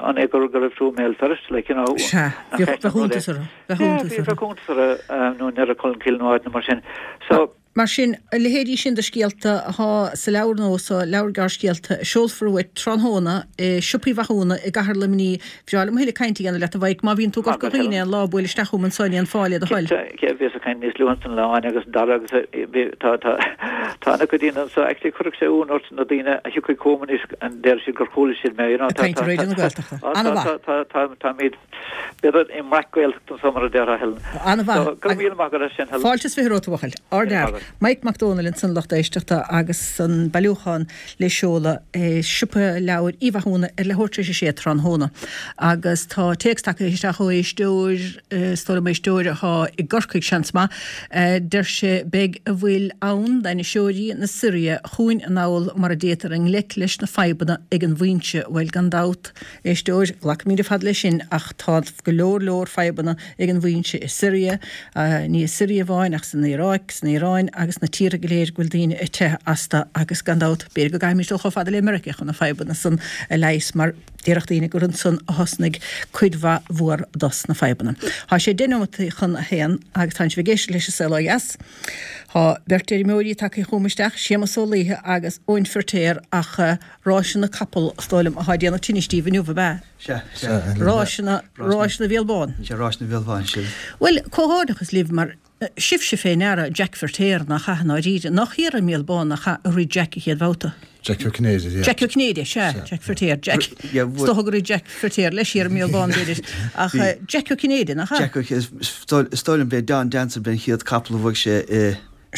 an é go raibh tú i mBéal Feirste like, you know. Sea, bheadh iontas orthu. Bheadh iontas orthu. Bheadh iontas orthu nó i nDoire Cholmcille nó áiteanna mar sin. So. Mar sin, a leithéidí sin de scéalta atá sa leabhar nua seo, leabhar gearrscéalta, a seolfar uait tráthnóna i siopaí Mhathúna i gcathair Luimnigh. Bhreá liom a thuilleadh cainte a dhéanamh leat, a Mhaidhc. Má bhíonn tú i gCorca Dhuibhne aon lá, buail isteach chugam anseo in Aon Fáil, le do thoil. Cinnte, bhíos ag caint níos luaithe ansan le Áine agus Dara agus tá, tá, Tá ana-chuid daoine anso, actually chuirfeadh sé ionadh ort na daoine a thiocfaidh chugam anois an deir siad gur chuala siad mé, you know, Ag caint ar Raidió na Gaeltachta. An-mhaith. Tá, tá, táimid, b'fhéidir i mbreac-Ghaeltacht anso mar a déarfá, Helen. An-mhaith. So, go raibh míle maith agat as sin, Helen. Fáilte is fiche romhat, a bhuachaill. Ardfhear. Mike Mac Dónaill ansan, lucht éisteachta, agus an bailiúchán le seoladh i Siopa Leabhar Uí Mhathúna ar leathuair tar éis a sé tráthnóna. Agus tá téacs tagtha isteach ó éisteoir, is dóigh liom éisteoir atá i gCorcaigh, seans maith. Deir sé, Beidh a bhfuil ann d'ainniseoirí na Siria chugainn anall mara dtéitear i ngleic leis na fadhbanna ag an bhfoinse. Bhuel, gan dabht, éisteoir, glacaimid ar fad leis sin, ach tá go leor leor fadhbanna ag an bhfoinse i Siria, ní i Siria amháin ach san Iaráic, san Iaráin agus sna tíortha go léir go bhfuil daoine ag teitheadh astu agus gan dabht, b'fhéidir go gcaithfimid dul chomh fada le Meiriceá chun na fadhbanna san a leigheas mar déarfadh daoine gur ansan a thosnaigh cuid mhaith mhór dos na fadhbanna. Tá sé deich nóimeataí chun a haon agus tánn sibh ag éisteacht leis an Saol Ó Dheas. Tá beirt fheirmeoirí tagtha chugam isteach, Séamus Ó Laoithe agus Eoin Firtéar ach ráiseanna capall is dóigh liom atá ag déanamh tinnis díbh inniu, ab ea? Sea, sea. Ráiseanna, ráiseanna Bhéal Bán. Sea, ráiseanna Bhéal Bán, sin. Bhuel, comhghairdeachas libh mar Sibhse fé ndeara Jack Firtéar, nach ea, i ndáiríre? Nach thiar i mBéal Bán, nach ea, a rith Jack a chéad bhabhta? Jack Ó Cinnéide, yeah. Jack Ó Cinnéide, sea, Jack Firtéar, Jack. Is dócha gur rith Jack Firtéar leis thiar i mBéal Bán, b'fhéidir, ach Jack Ó Cinnéide, nach ea? Jack Ó Cinnéide, is dóigh liom b'é Don Dancer b'é an chéad capall a bhuaigh sé i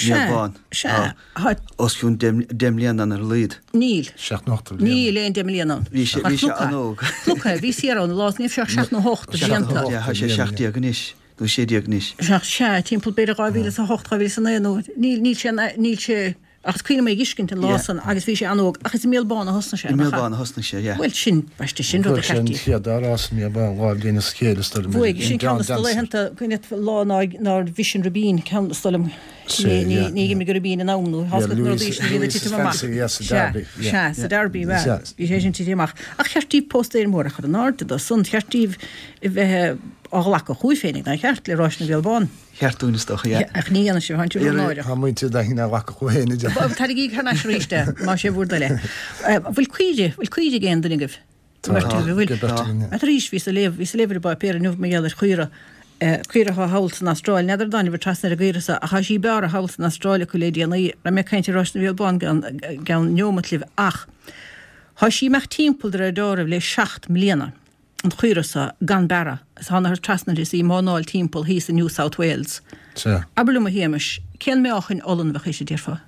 mBéal Bán. Sea, sea. Os cionn deich mbliana ann ar a laghad. Níl. Seacht nó ocht de bhlianta. Níl aon deich mbliana ann. Bhí sé, bhí sé an-óg. Cnoctha, bhí siar ann, lá, ní raibh sé ach seacht nó hocht de bhlianta. Seacht nó hocht, yeah, tá sé seacht déag anois. nó sé déag anois. Seacht, sea, timpeall b'fhéidir dhá mhíle is a hocht, dhá mhíle is a naoi nó níl, níl sé, níl sé, ach is cuimhin liom é a dh'fheiscint an lá san agus bhí sé an-óg ach is i mBéal Bán a thosnaigh sé, I mBéal Bán a thosnaigh sé, yeah. Bhuel sin, baiste, sin rud a Bhuaigh sé an cheart chéad dá rás i mBéal Bán dhá bhliain as a chéile is dóigh liom, Bhuaigh, sin in ceann Don de na Dancer. laethanta, cuimhin leat lá ná, nár bhris an ribín, ceann, is dóigh liom, Sea, ní, ní, yeah. ní dh'imigh an ribín in am nó Yeah, tháscaigh na Louis, rudaí sin a bhíonn ag Louise's titim amach. Fancy, yeah, sa Sea, Derby, yeah. sea, sa Derby, bhea, Sea. bhí sé sin tite amach. Ach cheart daoibh póstaer mór a chur in airde dó san, cheart daoibh a bheith á ghlacadh chugaibh féinig, nár cheart, le Ráiseanna Bhéal Bán. Cheart dúinn, is dócha, yeah. Ach ní dhéanann sibh, tánn sibh rónáireach. Tá muintir againn á ghlacadh chucu féin, a deir. Tarraigí thar n-ais arís é, más é bhur dtoil é. Bhfuil caoire, bhfuil caoire ag aon duine agaibh? Tá, Beirt agaibh, an bhfuil? ag beirt againn, yeah. Ach arís, bhíos ag léamh, bhíos ag léamh ar an bpáipéar inniu mar gheall ar chaora, caora atá thall san Astráil, n'fheadar an dtáinig sibh trasna ar an gcaora so, ach tá sí bearrtha thall san Astráil acu le déanaí. Raibh mé ag caint ar Ráiseanna Bhéal Bán i gceann neomat libh ach tá sí ag imeacht timpeall de réir dealraimh le seacht mbliana. an chaora so gan bearradh is thángathar trasna uirthi is í ag mánáil timpeall thíos i New South Wales. Sea. Abair liom a Shéamais, cén meáchain olann a bheadh ise, déarfá?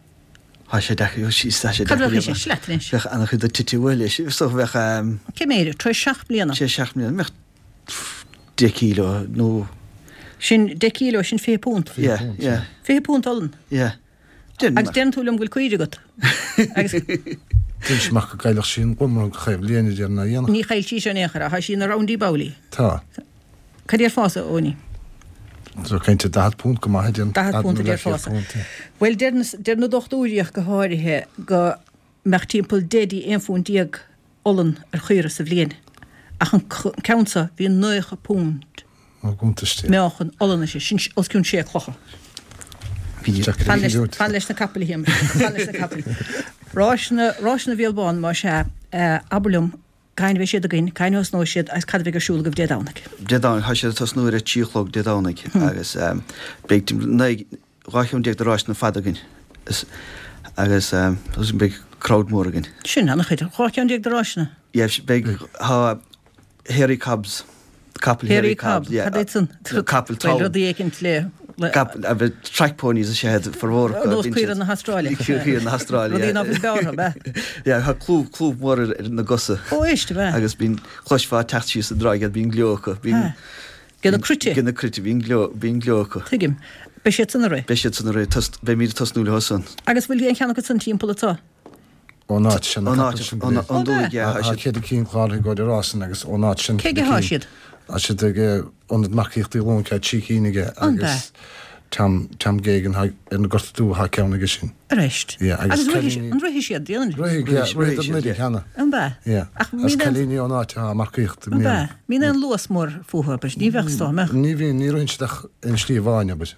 Tá sé deacair, tá sé Cad a deacair bheadh ise? Sleat anois. Bheadh an-chuid de tite uaidh leis. Is dócha bheadh ehm. Cé méid? Tar éis seacht mbliana? Tar éis seacht mbliana, bheadh deich kíló nó. Sin deich kíló, sin fiche punt. Yeah, yeah. Fiche punt olann? Yeah. Agus deireann tú liom go bhfuil caoire agat. Agus. D'inis amach go gcaillfeadh sí an glómrang chaon bhliain a deir ná dhéanfadh. Ní chaill sí seo in aon chor, tá sí ina roundy bowley. Tá. Cad déarfása, a Eoiní? Tá cinnte daichead punt go maith a deir. Daichead punt a déarfása. Bhuel, deir na, deir na dochtúirí ach go háirithe go mbeadh timpeall deich dtí aon phunt déag olann ar chaora sa bhliain. Ach an ceann seo, bhí naocha punt. Ó gcuntais de. Meáchan olann uirthi, sin os cionn sé clocha. Fan leis, fan leis na capaill, a Shéamais, fan leis na capaill. Ráiseanna, Ráiseanna Bhéal Bán, más ea, abair liom, cathain a bheidh siad againn, cathain a thosnóidh siad agus cad a bheidh ar siúl agaibh Dé Domhnaigh? Dé Domhnaigh, tá siad ag tosnú ar a trí a chlog Dé Domhnaigh agus beidh naoi, dhá cheann déag de ráiseanna fada againn agus beidh crowd mór againn. Sin an-chuid, dhá cheann déag de ráiseanna? Yeah, beidh, tá Hairy Cobs, capall Hairy Cobb, yeah. Cad é san? Capall Bhuel, rudaí éicint le. Capall, a bheith track ponies is ea iad formhór acu. Nós caoire na hAstráile. Caoire na hAstráile, yeah. Rudaí ná fuil bearrtha, ab ea? Yeah, tá clúmh, clúmh mór ar ar na gcosa. Ó, éist, ab ea? Agus bíonn, chloisfeá ag teacht síos an dtráigh iad, bíonn gleo acu, bíonn. De na cruite? De na cruite, bíonn gleo, bíonn gleo acu. Tuigim. Beidh siad san ag rith? Beidh siad san ag rith, tos, beimid ag tosnú leo san. Agus bhfuil aon cheann acu san timpeall anseo? Ón áit sin, na Ón capaill áit, sin go ón léir. ón dúigh, yeah, Tá tá siad. ceithre cinn cláraithe ag gabháil ar rás san agus ón áit sin Cé ceithre aige thá cinn. siad? Tá siad ag Ionad Marcaíochta Uí Loingsigh, trí cinn aige An b'ea? agus Tom, Tom Geoghegan thá ar an nGort Dubh thá ceann aige sin. Arís. Yeah, agus Agus rithfidh cailíní. an rithfidh siad, déanann? Rithfidh, yeah, Rithfidh rithfidh siad, an yeah. cheana. An b'ea? Yeah. Ach Agus mbíonn aon. cailíní ón áit athá ag marcaíocht i An b'ea? mbliana. Mbíonn aon luas mór fúthu, abair? Ní bheadh, is dóigh, an mbeadh? Ní bhíonn, ní ritheann siad ach aon slí amháin, abair.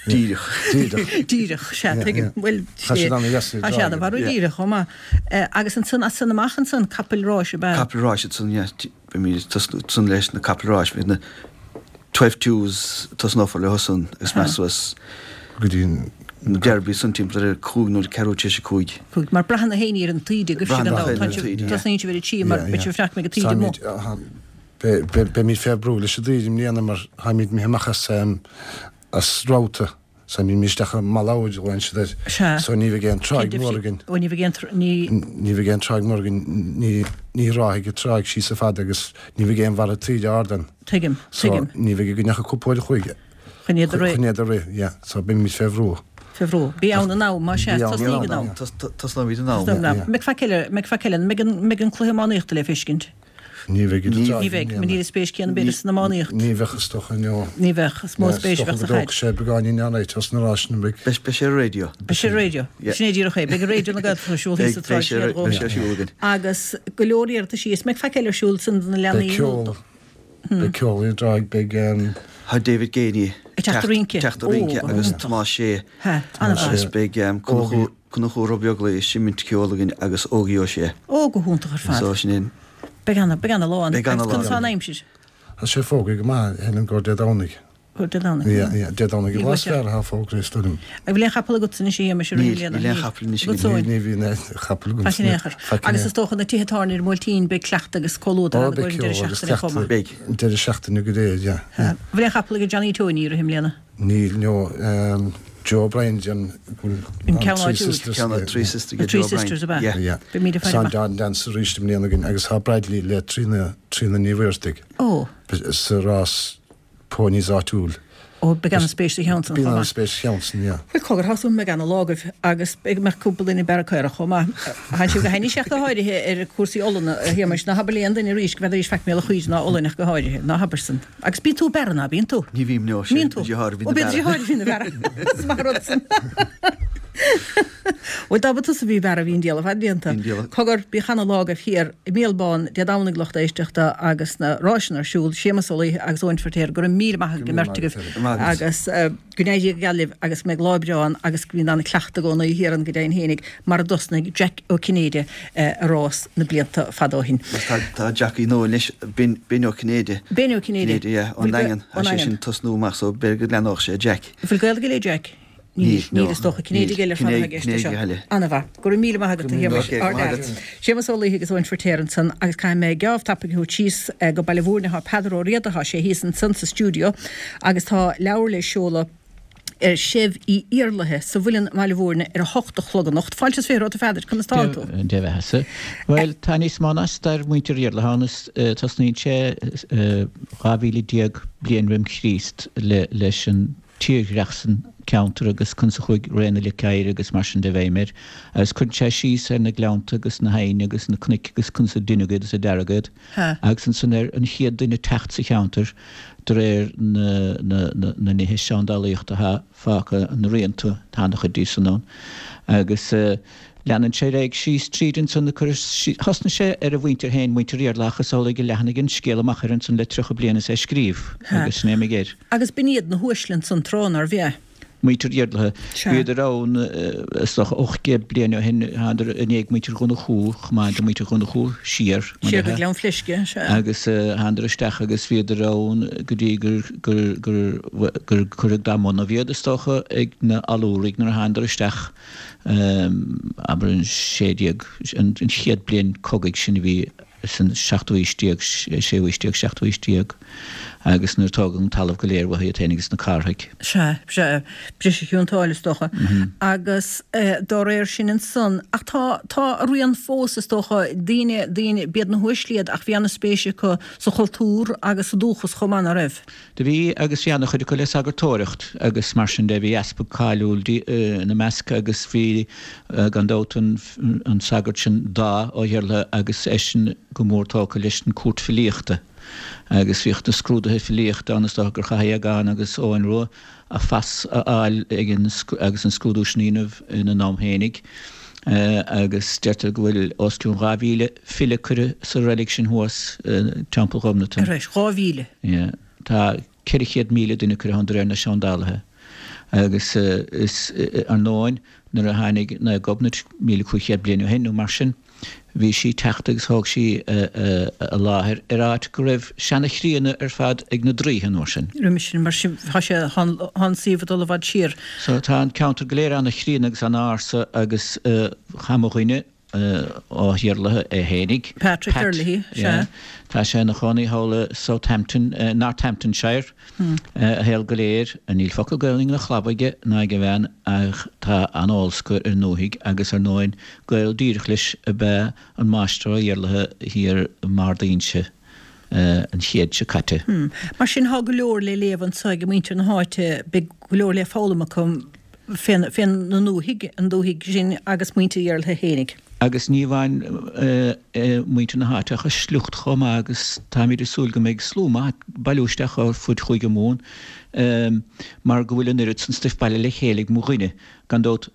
Díreach. Díreach. Díreach, sea, Yeah, tuigim. yeah. Bhuel, Tá siad an-dheas tá siad an-mhar Yeah. díreach chomh maith. Agus ansan, as san amach ansan, capaill ráis ab ea? Capaill ráis ansan, yeah. Beimid ag tosnú ansan leis na capaill ráis, beidh na twelve twos, tosnófar leo san agus meas suas Go dtí an Na Derby san timpeall ar cúig nó ceathrú tar éis a cúig. Cúig. Mar braitheann na héinne ar an taoide agaibhse gan dabht. Tá sibh, tosnaíonn sibh ar a trí mar beidh sibh ag fanacht go mbeidh an taoide amuigh. Beimid fé bhrú leis an dtaoide i mbliana mar táimid imithe amach as as ráta. So imímid isteach i mBaile Ard, glaonn siad air. Sea. So ní bheidh aon tráigh mhór againn. Ó ní bheidh aon tr-, ní. Ní bheidh aon tráigh mhór againn, ní ní ráfaidh an tráigh síos chomh fada agus ní bheidh aon bharra taoide ard ann. Tuigim, tuigim. So ní bheidh againn ach cúpla uair a chloig. Chun iad a rith. Chun iad a rith, yeah. So beimid fé bhrú. Fé bhrú. Bí ann in am, más ea. Tosnaíg in am. Tosnóimid in am. Tosnóimid in am. Mbeidh faic eile, mbeidh faic eile, mbeidh an, mbeidh an cluiche iománaíochta le feiscint? Ní bheidh idir Ní bheidh. Níl an spéis céanna b'fhéidir san iománaíocht. Ní bheadh is dócha, no. Ní bheadh. Is mó spéis a bheadh sa chaid. Is dócha go dtógfaidh sé beagáinín an-áit os na ráiseanna beidh. Beidh sé ar an raidió. Beidh sé ar an raidió. Sin é díreach é. Beidh Raidió na Gaeltachta ar siúl thíos sa Beidh tsráid sé siar beidh sé ar siúl againn. Agus go leor iarrataisí. Is mbeidh faic eile ar siúl san do na leanaí Beidh ceol. Beidh ceol i dTráigh, beidh. Tá David Geaney ag teacht ag rince. Teacht ag rince agus Tomás Sé. Agus beidh Conchúr Ó Beaglaoich ag seimint ceoil againn agus Ógie Ó Sé. Ó, go hiontach ar fad. So sin é. Beidh ana, beidh ana lá ann. Beidh ana lá Agus conas ann. tá an aimsir? Tá sé fógraithe go maith, Helen, gur Dé Domhnaigh. Gur Dé Domhnaigh. Yeah, yeah, Dé Domhnaigh an lá is fearr atá fógraithe, is dóigh liom. An bhfuil aon chapall agatsa anois a Shéamais i rith na bliana? Níl, níl aon chapall anois agam. Agatsa Níl, ní bhíonn aon chapall agam. Faic in aon chor. Faic in Agus aon is dócha na tithe tábhairne ar an mBuailtín, beidh cleachtadh agus comhluadar Ó, ann i beidh gcomhair an deireadh ceol agus seachtaine chomh maith. cleachtadh. Beidh. An deireadh seachtaine go léir, yeah, yeah. An bhfuil aon chapall ag Johnny Tony i rith na bliana? Níl, no. Joe O'Brien, an bhfuil An ceann Three áitiúil. Sisters, Ceann yeah, Three yeah. Sisters The ag Three Joe O'Brien. Sisters ab ea? Yeah. Yeah. Beidh míle faire Tá amach. Dawn Dance arís i mbliana againn agus tá Bradley le Tríona, Tríona Ní Mhuirthigh Ó. sa rás ponies áitiúil. Ó, beidh an-spéis sa cheann san Bíonn chomh maith. an-spéis sa cheann san, yeah. Bhuel, cogar, tá súil agam go mbeidh ana-lá agaibh agus beidh mbeadh cúpla duine ag bearradh caorach chomh maith. Tánn sibh go hainnis ach go háirithe ar cúrsaí ollanna, a Shéamais. Ná habair le aon duine arís go bhfeadaís faic mé le chuid ná olann ach go háirithe. Ná habair san. Agus bíonn tú ag bearradh, ná bíonn tú? Ní bhím, no, sé Bíonn tú? mo dheartháir a bhíonn Ó, ag bíonn do bearradh. dheartháir a bhíonn ag bearradh. Is maith an rud san. Bhuel, dá mba tusa a bhí ag bearradh, bhí an diabhal ar fad déanta. Bhí an diabhal. Cogar, bíodh ana-lá agaibh thiar i Míol Bán Dé Domhnaigh lucht éisteachta agus na ráiseanna ar siúl, Séamus Ó Laoithe agus Eoin Feirtéar, go raibh míle maith ag an mbeirt agaibh agus go n-éirí go geal libh agus go mbeidh lá breá ann agus go mbíonn ana-chleachtadh i gcónaí thiar ann go deimhin fhéinig mar a dtosnaigh Jack Ó Cinnéide a rás na blianta fada ó shin. Agus tá tá Jackie nua anois, Ben Ben Ó Cinnéide. Ben Ó Cinnéide. Cinnéide, yeah, ón Bhfuil Daingean. ón Tá sé Daingean. sin tosnú amach so b'fhéidir go leanódh sé Jack. Bhfuil gaol aige le Jack? Níl, Níl, níl is dócha. Cinnéide níl. eile ar fad atá i gceist Cinnéide anseo. eile. Ana-mhaith. Go raibh míle maith agat, a Shéamais. Ok, go maith agat. Séamus Ó Laoithe agus Eoin Feirtéar ansan agus caithfidh mé geábh tapaidh a thabhairt síos go Baile Mhúirne. Tá Peadar Ó Riada, tá sé thíos ansan sa stiúideo agus tá leabhar le seoladh ar Seibh Uí Iarlaithe sa Mhuileann i mBaile Mhúirne ar a hocht a chlog anocht. Fáilte is fiche romhat a Pheadair, conas tánn tú? Dia bheathasa. Bhuel, tá níos mó ná stair mhuintir Iarlaithe ann is tosnaíonn sé dhá mhíle déag bliain roim Chríost leis an tírdhreach san ceantar agus conas a chuaigh ré na lice oighir agus mar sin de i bhfeidhm air agus cuireann sé síos ar na gleannta agus na haibhne agus na cnoic agus conas a deineadh iad is a dearadh iad agus ansan ar an chéad duine teacht sa cheantar de réir na na na na nithe seandálaíochta atá fágtha na rianta tá an-chuid díobh san ann agus leanann sé ar aghaidh síos tríd ansan cur thosnaigh sé ar a mhuintir féin muintir Iarlaithe ach is amhlaidh a leathnaigh an scéal amach air ansan le tríocha bliain is é ag scríobh agus sin é mo gheir. Agus b'in iad na huaisle ansan tráth, nárbh ea? Muintir Iarlaithe. Sea. Bhíodar ann is dócha ocht gcéad bliain ó shin, thánadar i ndiaidh muintir Dhonnchú, chomh maith le muintir Dhonnchú, siar, mar Siar go dhea. Gleann Fleisce, sea. Agus thánadar isteach agus bhíodar ann go dtí gur, gur, gur, gur cuireadh dá mbonnaibh iad, is dócha, ag na hAllúraigh nuair a thánadar isteach, abair an sé déag, an chéad bliain cogaidh sin a bhí san seachtú haois déag, séú haois déag, seachtú haois déag, agus nuair a tógadh an talamh go léir uathu iad féin agus na Cárthaigh. Sea, sea, briseadh Chionn tSáile is dócha. Agus dá réir sin ansan, ach tá, tá a rian fós is dócha, daoine, daoine, b'iad na huaisle iad ach bhí ana-spéis acu sa chultúr agus sa dúchas chomh maith, ná raibh? Do bhí agus bhí ana-chuid acu le sagartóireacht agus mar sin de bhí easpag cáiliúil ina measc agus bhí gan dabht an an sagart sin Dáith Ó hIarlaithe agus eisean go mór tógtha leis an cúirt filíochta agus bhíodh na scrúduithe filíochta ann is dócha gur chaith Aogán agus Eoghan Rua a phas a fháil ag an agus an scrúdú sin a dhéanamh ina n-am fhéinig. Agus deirtear go bhfuil os cionn dhá mhíle file curtha sa reilig sin thuas, Teampall Ghobnatan. Ar ais, dhá mhíle? Yeah. Tá ceithre chéad míle duine curtha ann de réir na seandálaithe. Agus is ar ndóin nuair a tháinig Naomh Gobnait míle cúig chéad bliain ó shin nó mar sin, bhí sí ag teacht agus thóg sí a láthair ar áit go raibh seana-chríonna ar fad ag na draoithe an uair sin. Roimis sin, mar sin, tá sé, tá an suíomh ag dul i bhfad siar. So tá an ceantar go léir ana-chríonna agus ana-ársa agus tá mo dhuine ó Thír Laoithe é fhéinig. Patrick Herlihy, sea. Tá sé ina chónaí thall i Southampton, Northamptonshire, a shaol go léir. Níl focal Gaelainne ina chlab aige ná ag a bhean ach tá an-eolas acu ar an ndúthaigh agus ar ndóin gaol díreach leis ab ea an máistir Ó hIarlaithe thiar i mBarr d'Inse an chéad seo caite. Mar sin tá go leor le léamh anso ag muintir na háite, beidh go leor le foghlaim acu fén na ndúthaigh, an dúthaigh sin agus muintir Iarlaithe fhéinig. Agus ní amháin muintir na háite ach a sliocht chomh maith agus táimid ag súil go mbeidh slua maith ag bailiú isteach ó fud Chúige Mumhan mar go bhfuil an oiread san stuif bailithe le chéile ag mo dhuine. Gan dabht,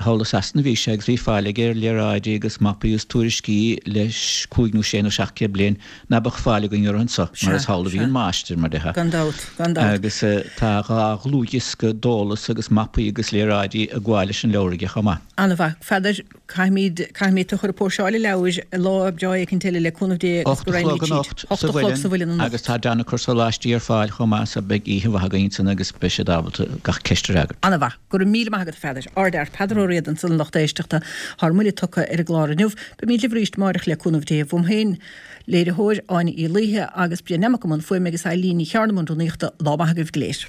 thall i Sasana a bhí sé agus bhí fáil aige ar léaráidí agus mapaí agus tuairiscí le cúig nó sé nó seacht gcéad bliain ná beadh fáil againn orthu anso, mar is thall a bhí an máistir, mar déarfá. Gan dabht, gan dabht. Agus tá dhá dhlúthdhiosca d'eolas agus mapaí agus léaráidí ag gabháil leis an leabhar aige chomh maith. An-mhaith. Pheadair, caithfimid, caithfimid tú a chur ag póirseáil an leabhair lá breá éicint eile le cúnamh Dé agus Ocht go a chlog raghaimid síd. anocht Ocht sa a chlog sa Mhuileann Mhuileann anocht. agus tá Donna ag cur sóláistí ar fáil chomh maith so beidh oíche mhaith againn ansan agus beidh siad ábalta gach ceist a fhreagairt. An-mhaith. Go raibh míle maith agat a Pheadair. Ardfhear Peadar Ó Riada ansan a lucht éisteachta. Thár mbuille tugtha ar an gclár inniu. Beimid libh arís amáireach le cúnamh Dé. Uaim féin, léiritheoir Áine Uí Laoithe agus Brian Nemec i mbun fuaime agus Eileen Ní Chearna i mbun rúnaíochta. Lá maith agaibh go léir.